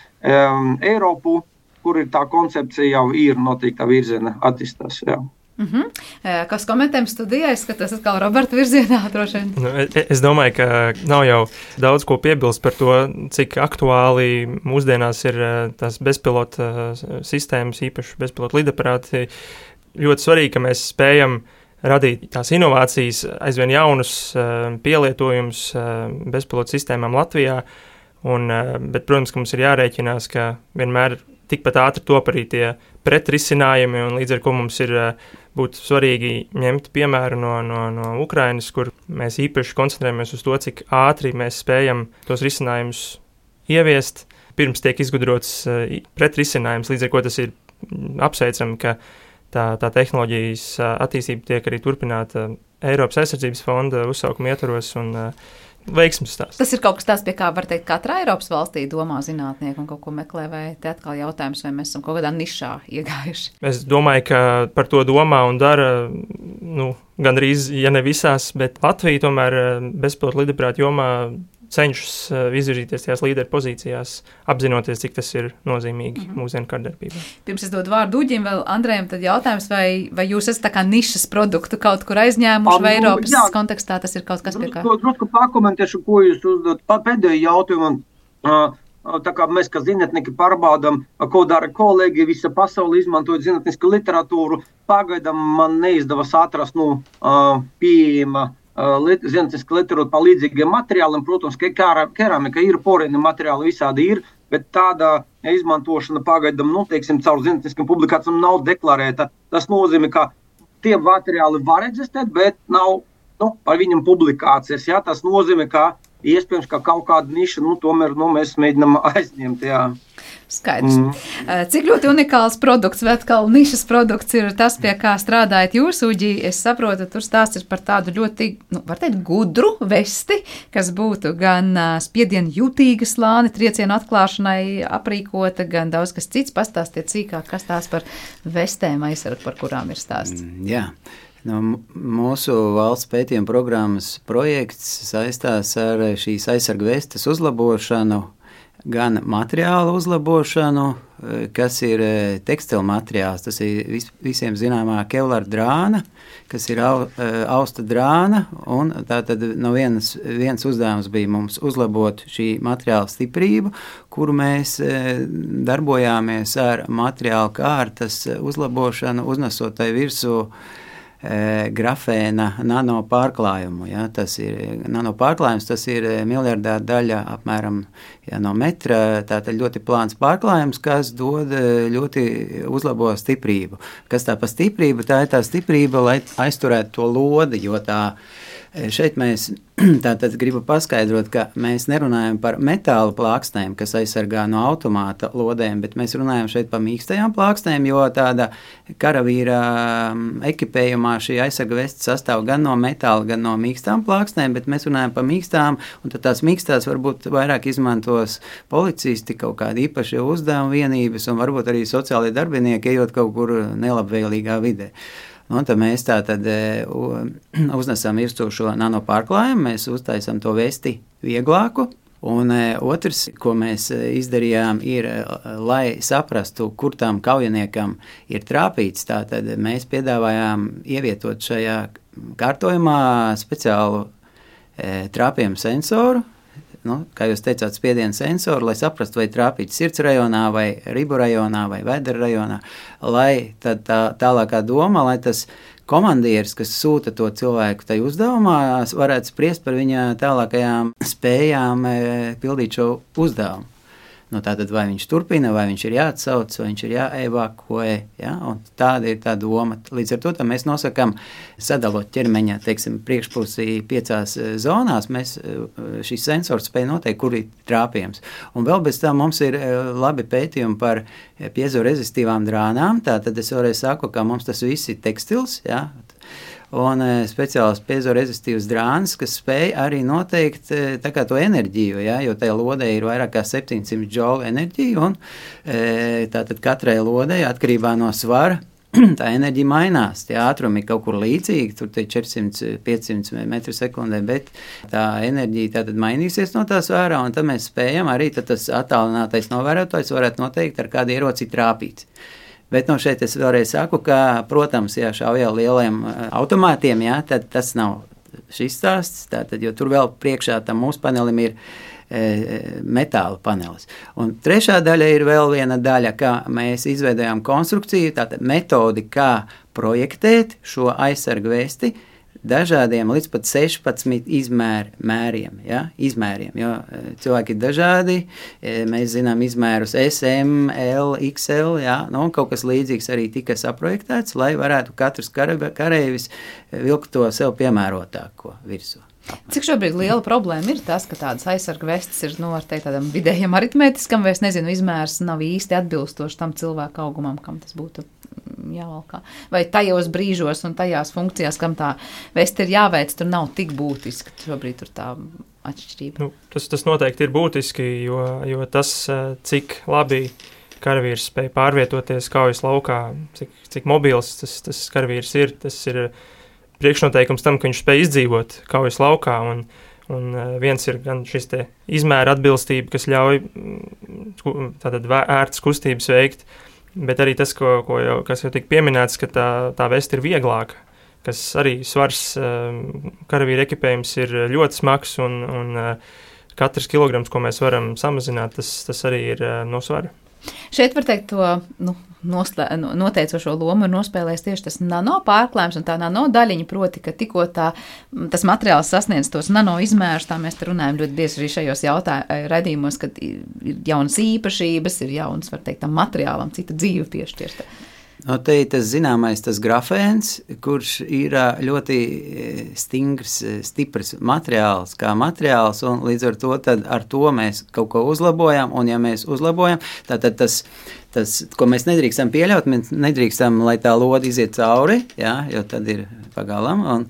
Eiropu, kur ir tā koncepcija jau ir noteikta virziena attīstās. Ja. Kas komentējums studijā? Es skatos atkal Roberta virzienā droši vien. Nu, es domāju, ka nav jau daudz ko piebilst par to, cik aktuāli mūsdienās ir tās bezpilota sistēmas, īpaši bezpilota lidaparāti. Ļoti svarīgi, ka mēs spējam radīt tās inovācijas, aizvien jaunus pielietojumus bezpilota sistēmām Latvijā. Bet, protams, ka mums ir jārēķinās, ka vienmēr tikpat ātri top arī tie pretrisinājumi, un līdz ar ko mums ir būtu svarīgi ņemt piemēru no Ukrainas, kur mēs īpaši koncentrējamies uz to, cik ātri mēs spējam tos risinājumus ieviest, pirms tiek izgudrots pretrisinājums, līdz ar ko tas ir apsveicami, ka tā tehnoloģijas attīstība tiek arī turpināta Eiropas aizsardzības fonda uzsaukuma ietvaros un veiksmes stāsts. Tas ir kaut kas tāds, pie kā var teikt, katra Eiropas valstī domā zinātnieki un kaut ko meklē, vai te atkal jautājums, vai mēs esam kaut kādā nišā iegājuši? Es domāju, ka par to domā un dara, gandrīz, ja ne visās, bet Latvija tomēr bezpilota lidaparātu jomā cenšas izvirzīties tajās līderu pozīcijās, apzinoties, cik tas ir nozīmīgi mūsdienu kārdarbībā. Pirms es dodu vārdu Uģim, vēl Andrejam, tad jautājums, vai jūs esat tā kā nišas produktu kaut kur aizņēmuši, vai Eiropas kontekstā tas ir kaut kas pie kā? Drusku pakomentēšu, ko jūs uzdot pēdējo jautājumu. Tā kā mēs, kā zinātnieki, pārbaudām, ko dara kolēģi, visa pasaule izmantojot zinātnisku literatūru, pagaidām man neizdevās atrast pieejama zinātniska literatūra par līdzīgiem materiāliem. Protams, ka keramika ir, porēni materiāli visādi ir, bet tāda izmantošana pagaidām, caur zinātniskiem publikācijām nav deklarēta. Tas nozīmē, ka tie materiāli var eksistēt, bet nav par viņam publikācijas. Jā? Tas nozīmē, ka iespējams, ka kaut kāda niša, tomēr mēs mēģinām aizņemt. Jā. Skaidrs. Cik ļoti unikāls produkts, vai atkal nišas produkts ir tas, pie kā strādājat jūs, Uģi? Es saprotu, tur stāsts ir par tādu ļoti, var teikt, gudru vesti, kas būtu gan spiedienu jūtīga slāni, triecienu atklāšanai aprīkota, gan daudz kas cits. Pastāstiet cīkāk, kas tās par vestēm aizsarg, par kurām ir stāsts. Jā. Mūsu valsts pētījuma programmas projekts saistās ar šīs aizsarga vestes uzlabošanu, gan materiālu uzlabošanu, kas ir tekstila materiāls. Tas ir visiem zināmā Kevlar drāna, kas ir austa drāna, un tātad viens uzdevums bija mums uzlabot šī materiāla stiprību, kuru mēs darbojāmies ar materiālu kārtas uzlabošanu, uznesot tai virsū grafēna nanopārklājumu. Ja? Tas ir nanopārklājums, tas ir miljardāra daļa apmēram no metra, tātad ļoti plāns pārklājums, kas dod ļoti uzlabo stiprību. Kas tā pa stiprību? Tā ir tā stiprība, lai aizturētu to lodi, jo šeit mēs tātad gribu paskaidrot, ka mēs nerunājam par metāla plāksnēm, kas aizsargā no automāta lodēm, bet mēs runājam šeit par mīkstajām plāksnēm, jo tāda karavīra ekipējumā šī aizsarga veste sastāv gan no metāla, gan no mīkstām plāksnēm, bet mēs runājam par mīkstām, un tad tās mīkstās varbūt vairāk izmantos policisti, kaut kādi īpaši uzdevuma vienības, un varbūt arī sociālie darbinieki, ejot kaut kur nelabvēlīgā vidē. Tad mēs uznesam virsū šo nanopārklājumu, mēs uztaisam to vesti vieglāku. Un otrs, ko mēs izdarījām, ir, lai saprastu, kur tam kaujiniekam ir trāpīts, tātad mēs piedāvājām ievietot šajā kārtojumā speciālu trāpījumu sensoru. Kā jūs teicāt, spiediena sensoru, lai saprastu, vai trāpīt sirds rajonā, vai ribu rajonā, vai vēdera rajonā, lai tad tālākā doma, lai tas komandieris, kas sūta to cilvēku tai uzdevumā, varētu spriest par viņa tālākajām spējām pildīt šo uzdevumu. Tātad vai viņš turpina, vai viņš ir jāatsauc, vai viņš ir jāevakuē, ja? Un tāda ir tā doma. Līdz ar to mēs nosakām, sadalot ķermeņa, priekšpusī 5 zonās, šis sensors spēj noteikt, kur ir trāpījums. Un vēl bez tam mums ir labi pētījumi par piezoresistīvām drānām, tātad es vēlreiz saku, ka mums tas viss ir tekstils, ja? Un speciāls piezoresistīvs drāns, kas spēj arī noteikt to enerģiju, ja, jo tajā lodē ir vairāk kā 700 džoulu enerģiju, un tātad katrai lodē atkarībā no svara tā enerģija mainās. Tie ātrumi ir kaut kur līdzīgi, tur 400-500 metru sekundē, bet tā enerģija tātad mainīsies no tā svara, un tad mēs spējam arī tas attālinātais novērotājs varētu noteikt, ar kādu ieroci trāpīts. Bet šeit es vēlreiz saku, ka, protams, ja šauja lieliem automātiem, jā, tad tas nav šis stāsts, tātad, jo tur vēl priekšā tam mūsu panelim ir metāla panelis. Un trešā daļa ir vēl viena daļa, kā mēs izveidojām konstrukciju, tātad metodi, kā projektēt šo aizsargu vesti dažādiem līdz pat 16 izmēriem, ja? Izmēriem, jo cilvēki ir dažādi, mēs zinām izmērus SM, L, XL, ja? Kaut kas līdzīgs arī tika saprojektēts, lai varētu katrs kareivis vilkt to sev piemērotāko virsū. Cik šobrīd liela problēma ir tas, ka tādas aizsarga vestes ir, var teikt, tādam vidējam aritmētiskam, vai es nezinu, izmērs nav īsti atbilstoši tam cilvēku augumam, kam tas būtu jāvalkā. Vai tajos brīžos un tajās funkcijās, kam tā veste ir jāveic, tur nav tik būtiski, šobrīd tur tā atšķirība. Tas noteikti ir būtiski, jo tas, cik labi karavīrs spēj pārvietoties kaujas laukā, cik mobils tas karavīrs ir, tas ir priekšnoteikums tam, ka viņš spēj izdzīvot kaujas laukā, un viens ir gan šis te izmēra atbilstība, kas ļauj tātad ērtas kustības veikt, bet arī tas, kas jau tika pieminēts, ka tā veste ir vieglāka, kas arī svars karavīra ekipējums ir ļoti smags, un katrs kilograms, ko mēs varam samazināt, tas arī ir no svara. Šeit var teikt to noteicošo lomu ir nospēlējis tieši tas nano pārklājums un tā nano daļiņa, proti, ka tikko tas materiāls sasniedz tos nano izmērus, tā mēs te runājam ļoti bieži arī šajos raidījumos, kad ir jaunas īpašības, ir jaunas, var teikt, tam materiālam cita dzīve piešķirta. Te ir tas zināmais, tas grafēns, kurš ir ļoti stingrs, stiprs materiāls, kā materiāls, un līdz ar to mēs kaut ko uzlabojam, un ja mēs uzlabojam, tad tas, ko mēs nedrīkstam pieļaut, mēs nedrīkstam, lai tā lode iziet cauri, jā, jo tad ir pagalam, un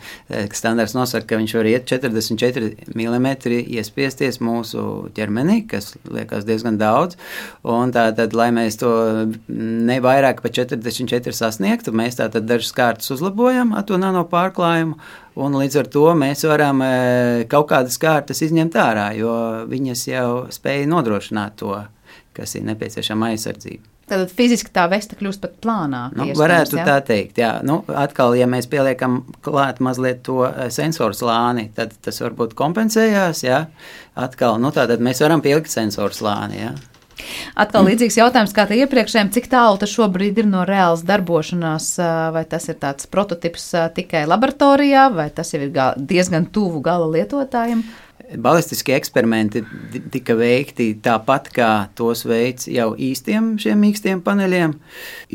standarts nosaka, ka viņš var iet 44 mm iespiesties mūsu ķermenī, kas liekas diezgan daudz, un tātad, lai mēs to ne vairāk pa 44 sasniegtu, mēs tātad dažas kārtas uzlabojam ar to nano pārklājumu, un līdz ar to mēs varam kaut kādas kārtas izņemt ārā, jo viņas jau spēja nodrošināt to, kas ir nepieciešama aizsardzība. Tad fiziski tā veste kļūst pat plānāka. Varētu tā teikt, jā. Atkal, ja mēs pieliekam klāt mazliet to sensoru slāni, tad tas varbūt kompensējās, jā. Atkal, tātad mēs varam pielikt sensoru slāni, jā. Atkal līdzīgs jautājums kā te iepriekšējiem, cik tālu tas šobrīd ir no reāls darbošanās, vai tas ir tāds prototips tikai laboratorijā, vai tas jau ir diezgan tuvu gala lietotājiem? Balistiskie eksperimenti tika veikti tāpat, kā tos veids jau īstiem šiem mīkstiem paneļiem.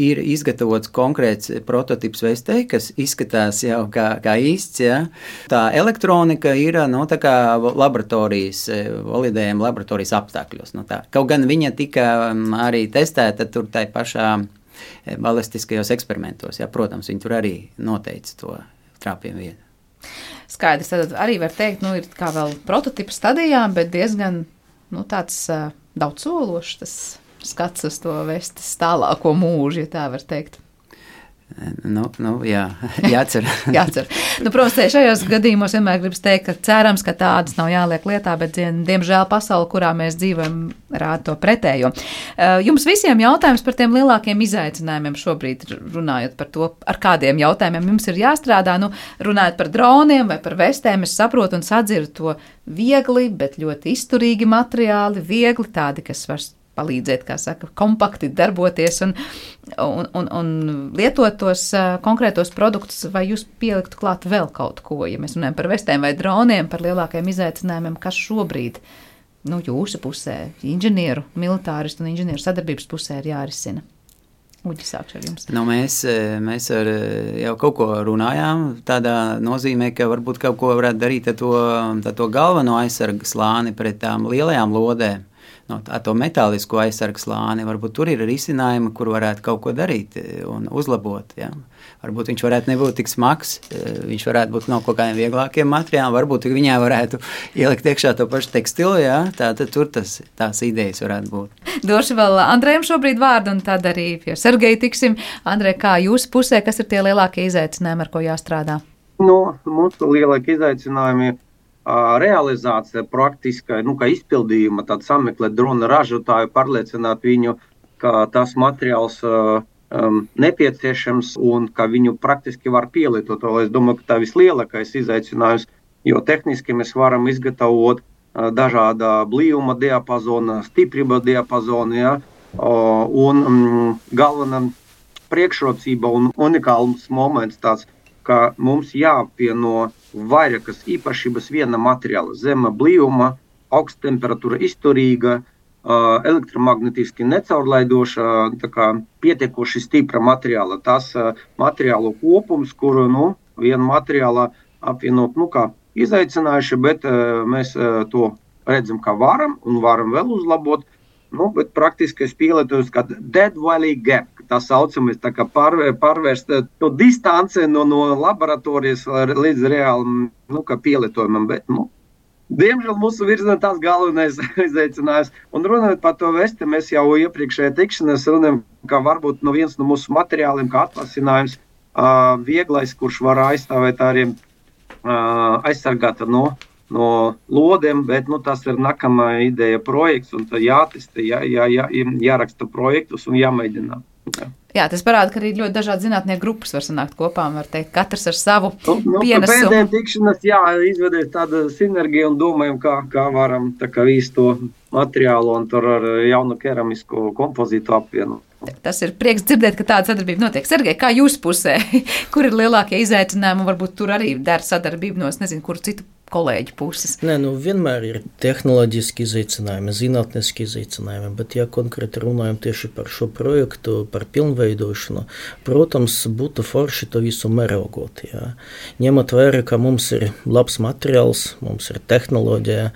Ir izgatavots konkrēts prototips vestei, kas izskatās jau kā īsts. Ja. Tā elektronika ir tā kā laboratorijas, validējama laboratorijas apstākļos. Kaut gan viņa tika arī testēta tur tai pašā balistiskajos eksperimentos. Ja. Protams, viņi tur arī noteica to trāpījumu vietu. Skaidrs, tad arī var teikt, ir kā vēl prototipa stadijā, bet diezgan, tāds daudzsološs tas skats uz to vestes tālāko mūžu, ja tā var teikt. Jā, jācer. Jācer. Protams, šajos gadījumos vienmēr gribas teikt, ka cerams, ka tādas nav jāliek lietā, bet, diemžēl, pasaule, kurā mēs dzīvojam, rāda to pretējo. Jums visiem jautājums par tiem lielākiem izaicinājumiem šobrīd, runājot par to, ar kādiem jautājumiem jums ir jāstrādā, runājot par droniem vai par vestēm, es saprotu un sadzirdu to viegli, bet ļoti izturīgi materiāli, viegli tādi, kas var palīdzēt, kā saka, kompakti darboties un lietot tos konkrētos produktus, vai jūs pieliktu klāt vēl kaut ko, ja mēs runājam par vestēm vai droniem, par lielākajiem izaicinājumiem, kas šobrīd, jūsu pusē, inženieru, militāristu un inženieru sadarbības pusē ir jārisina. Uģi, sākšu ar jums. Mēs jau kaut ko runājām, tādā nozīmē, ka varbūt kaut ko varētu darīt ar to galveno aizsarga slāni pret tām lielajām lodēm. Ar to metālisko aizsargu slāni, varbūt tur ir risinājumi, kur varētu kaut ko darīt un uzlabot. Ja. Varbūt viņš varētu nebūt tik smags, viņš varētu būt no kaut kādiem vieglākiem materiāliem, varbūt viņā varētu ielikt iekšā to pašu tekstilu, ja. Tātad tur tās idejas varētu būt. Došu vēl Andrejam šobrīd vārdu un tad arī pie Sergeja tiksim. Andrej, kā jūsu pusē, kas ir tie lielākie izaicinājumi, ar ko jāstrādā? Mūsu lielākie izaicinājumi realizācija praktiska, kā izpildījuma, tad sameklēt drona ražotāju, pārliecināt viņu, ka tas materiāls nepieciešams un ka viņu praktiski var pielietot. Es domāju, ka tā vislielākais izaicinājums, jo tehniski mēs varam izgatavot dažāda blīvuma diapazona, stiprība diapazona, ja, un galvenā priekšrocība un unikāls moments tāds, ka mums jāapvieno vairākas īpašības viena materiāla, zema blīvuma, augsta temperatūra izturīga, elektromagnetiski necaurlaidoša, tā kā pietiekoši stipra materiāla. Tas materiālu kopums, kuru, viena materiāla apvienot, kā izaicinājuši, bet mēs to redzam, ka varam un varam vēl uzlabot, bet praktiskais pielietojums, kā dead valley gap, tā saucamies, tā kā pārvērst to distanci no laboratorijas līdz reālam, kā pielietojumam, bet, diemžēl mūsu virzienā tās galvenais izaicinājums. Un runājot par to vesti, mēs jau iepriekšējā tikšanās runājam, ka varbūt viens no mūsu materiāliem, kā atvasinājums, vieglais, kurš var aizstāvēt arī aizsargāt no lodiem, bet tas ir nākamā ideja projekts, un jātesta, jāraksta projektus un jāmēģina. Jā, tas parāda, ka arī ļoti dažādi zinātnieku grupas var sanākt kopā un var teikt, katrs ar savu pienesumu. Pēdējiem tikšanas, izvedies tāda sinerģija un domājam, kā varam visu to materiālu un tur ar jaunu keramisko kompozītu apvienot. Tas ir prieks dzirdēt, ka tāda sadarbība notiek. Sergej, kā jūsu pusē, kur ir lielākie izaicinājumi, varbūt tur arī dara sadarbību no, kuru citu kolēģu puses? Nē, vienmēr ir tehnoloģiski izaicinājumi, zinātniski izaicinājumi, bet ja konkrēti runājam tieši par šo projektu, par pilnveidošanu, protams, būtu forši to visu mērogot. Jā. Ņemot vērā, ka mums ir labs materiāls, mums ir tehnoloģija,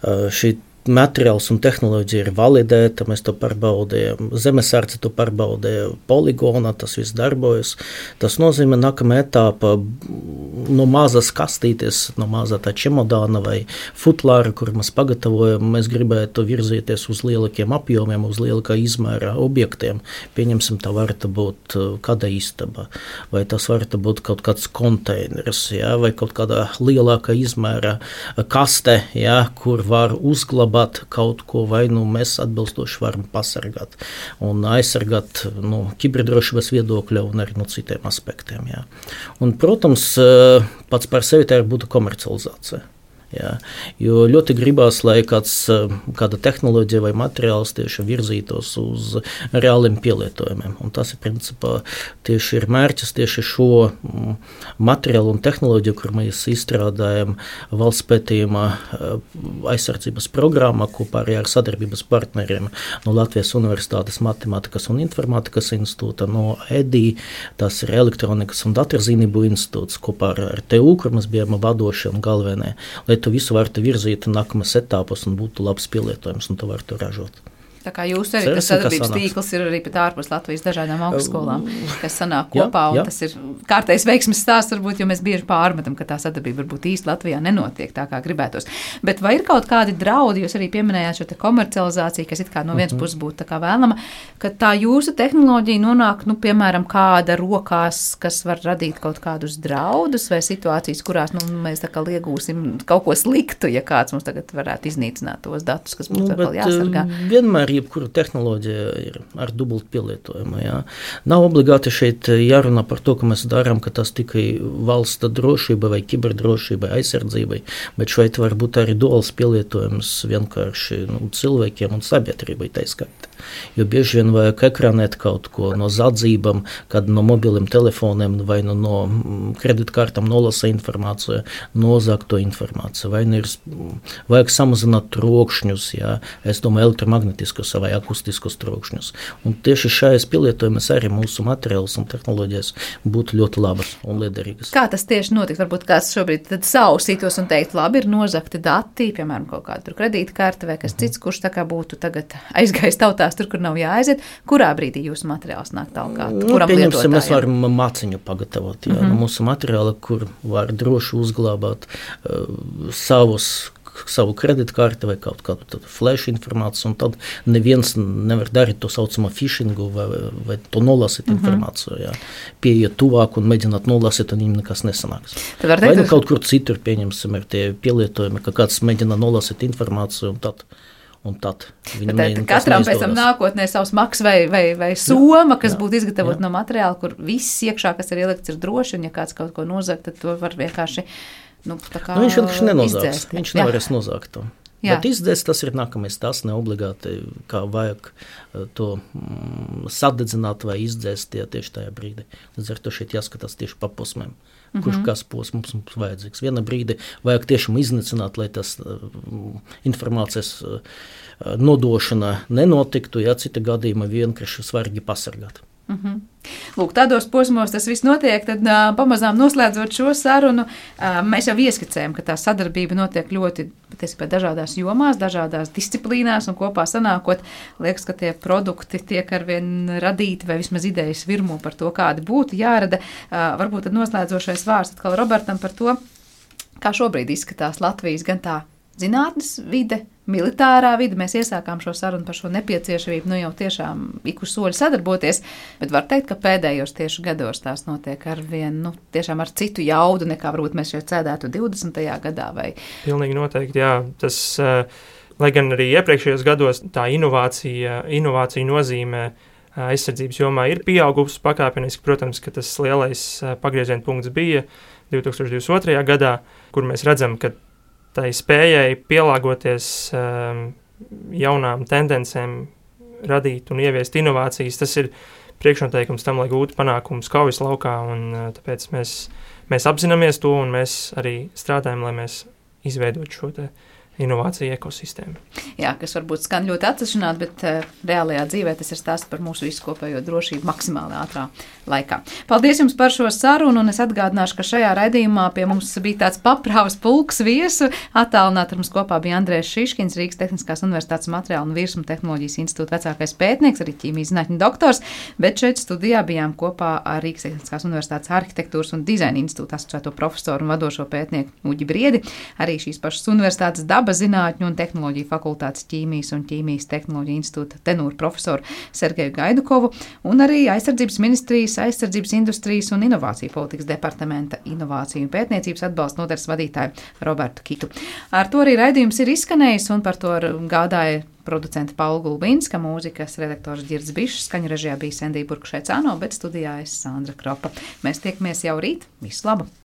šī materiāls un tehnoloģija ir validēta, mēs to pārbaudījām, Zemesardze to pārbaudīja poligonā, tas viss darbojas. Tas nozīmē nākamā etapa no mazas kastītes, no mazā tā čemodāna vai futlāra, kur mēs pagatavojam, mēs gribētu virzīties uz lielākiem apjomiem, uz lielākā izmēra objektiem. Pieņemsim, tā varētu būt kāda istaba, vai tas varētu būt kaut kāds konteiners, ja, vai kaut kādā lielākā izmēra kaste, ja, kur var uzglabāt kaut ko, vai mēs atbilstoši varam pasargāt un aizsargāt kiberdrošības viedokļa un arī no citiem aspektiem. Jā. Un, protams, pats par sevi tā būtu komercializācija. Jā, jo ļoti gribās, lai kāda tehnoloģija vai materiāls tieši virzītos uz reāliem pielietojumiem. Un tas ir principā tieši ir mērķis tieši šo materiālu un tehnoloģiju, kur mēs izstrādājam valsts pētījuma aizsardzības programmā kopā arī ar sadarbības partneriem no Latvijas Universitātes Matemātikas un Informātikas institūta, no EDI, tas ir Elektronikas un datorzīmību institūts kopā ar TU, kur mēs bijām vadošie un galvenie, lai to visu varētu virzīt nākamās etapos un būtu labs pielietojums, un to varētu ražot. Tā kā jūs arī, tas sadarbības tīkls ir arī pat ārpus Latvijas dažādām augstskolām, kas sanāk kopā, un tas ir kārtējs veiksmes stāsts, varbūt, jo mēs bieži pārmetam, ka tā sadarbība varbūt īsti Latvijā nenotiek tā, kā gribētos. Bet vai ir kaut kādi draudi, jūs arī pieminējāt šo te komercializāciju, kas it kā no vienas puses būtu tā kā vēlama, ka tā jūsu tehnoloģija nonāk, piemēram, kāda rokās, kas var radīt kaut kādus draudus vai situācijas, kurās mēs tā kā iegūsim kaut ko sliktu, ja kāds mums tagad varētu iznīcināt tos datus, kas mums vēl jāsargā. Vienmēr jebkura tehnoloģija ir ar dubultu pielietojumu. Jā. Nav obligāti šeit jārunā par to, ka mēs darām, ka tas tikai valsts drošība vai kiberdrošība aizsardzībai, bet šeit var būt arī duāls pielietojums vienkārši cilvēkiem un sabiedrībai taiskaitā. Jo bieži vien vajag ekranēt kaut ko no zadzībām, kad no mobiliem telefoniem vai no kreditkartām nolasa informāciju, nozāk to informāciju, vai ir vajag samazināt trokšņus, jā, es domāju elektromagnetiskus vai akustiskus trokšņus. Un tieši šajās pielietojumies arī mūsu materiāls un tehnoloģijas būtu ļoti labas un liederīgas. Kā tas tieši notiks? Varbūt kāds šobrīd tad sausītos un teikt, labi, ir nozakti dati, piemēram, kaut kāda kredītkarte vai kas cits, kurš tā kā būtu tagad aizgājis tautās tur, kur nav jāaiziet. Kurā brīdī jūsu materiāls nāk tālāk? Pieņemsim, mēs varam māciņu pagatavot. Jā, mūsu materiāli, kur var droši uzglabāt savu kreditkarti vai kaut kādu flash informāciju, un tad neviens nevar darīt to saucamo phishingu vai to nolasīt informāciju. Jā. Pieiet tuvāk un mēģināt nolasīt, un viņam nekas nesanāks. Vai kaut kur citur, pieņemsim, ir tie pielietojumi, ka kāds mēģina nolasīt informāciju, un tad un tad katram pēc tam nākotnē savs maks vai soma, kas būtu izgatavot no materiāla, kur viss iekšā, kas ir ielikts, ir droši, un ja kāds kaut ko nozag, tad to var vienkārši, viņš vienkārši nenozāks, viņš nevarēs nozākt to. Jā. Bet izdzēst, tas ir nākamais, tas neobligāti, kā vajag to sadedzināt vai izdzēst tieši tajā brīdī. Līdz ar to šeit jāskatās tieši pa posmēm. Kurš kas posms mums vajadzīgs. Viena brīdi vajag tiešām iznīcināt, lai tas informācijas nodošana nenotiktu, ja cita gadījumā vienkārši svarīgi pasargāt. Lūk, tādos posmos tas viss notiek, tad pamazām noslēdzot šo sarunu, mēs jau ieskicējam, ka tā sadarbība notiek ļoti dažādās jomās, dažādās disciplīnās un kopā sanākot, liekas, ka tie produkti tiek arvien radīti vai vismaz idejas virmo par to, kādi būtu jārada. Varbūt tad noslēdzošais vārds atkal Robertam par to, kā šobrīd izskatās Latvijas gan tā zinātnes vide, militārā vide. Mēs iesākām šo sarunu par šo nepieciešamību, jau tiešām ik uz soļu sadarboties, bet var teikt, ka pēdējos tieši gados tās notiek arvien, tiešām ar citu jaudu, nekā varbūt mēs šeit sēdētu 20. gadā vai. Pilnīgi noteikti, jā. Tas, lai gan arī iepriekšējos gados tā inovācija nozīmē aizsardzības jomā ir pieaugusi pakāpeniski, protams, ka tas lielais pagrieziena punkts bija 2022. gadā, kur mēs redzam, ka tai spējai pielāgoties jaunām tendencēm, radīt un ieviest inovācijas, tas ir priekšnoteikums tam, lai gūtu panākumus kaujas laukā, un tāpēc mēs apzināmies to, un mēs arī strādājam, lai mēs izveidotu šo te inovāciju ekosistēmu. Jā, kas varbūt skan ļoti atsevišķināt, bet reālajā dzīvē tas ir stāsts par mūsu visu kopējo drošību maksimāli ātrā laikā. Paldies jums par šo sarunu, un es atgādināšu, ka šajā raidījumā pie mums bija tāds paprāvas pulks viesu. Attālināti ar mums kopā bija Andrēs Šiškins, Rīgas Tehniskās universitātes materiālu un virsmu tehnoloģijas institūta vecākais pētnieks, arī ķīmijas zinātņu doktors, bet šeit studijā bijām kopā ar Rīgas Tehniskās universitātes arhitektūras un dizaina institūta asociēto profesoru un vadošo pētnieku Uģi Briedi, arī šīs pašas universitātes zinātņu un tehnoloģiju fakultātes ķīmijas un ķīmijas tehnoloģiju institūta tenūra profesoru Sergeju Gaidukovu un arī aizsardzības ministrijas, aizsardzības industrijas un inovāciju politikas departamenta inovāciju un pētniecības atbalsta nodaļas vadītāju Robertu Kitu. Ar to arī raidījums ir izskanējis, un par to gādāja producenta Paula Gulbinska, mūzikas redaktors Ģirds Bišs, skaņu režijā bija Sendija Burkšēcāno, bet studijā es Sandra Kropa. Mēs tiekamies jau rīt. Visu labu!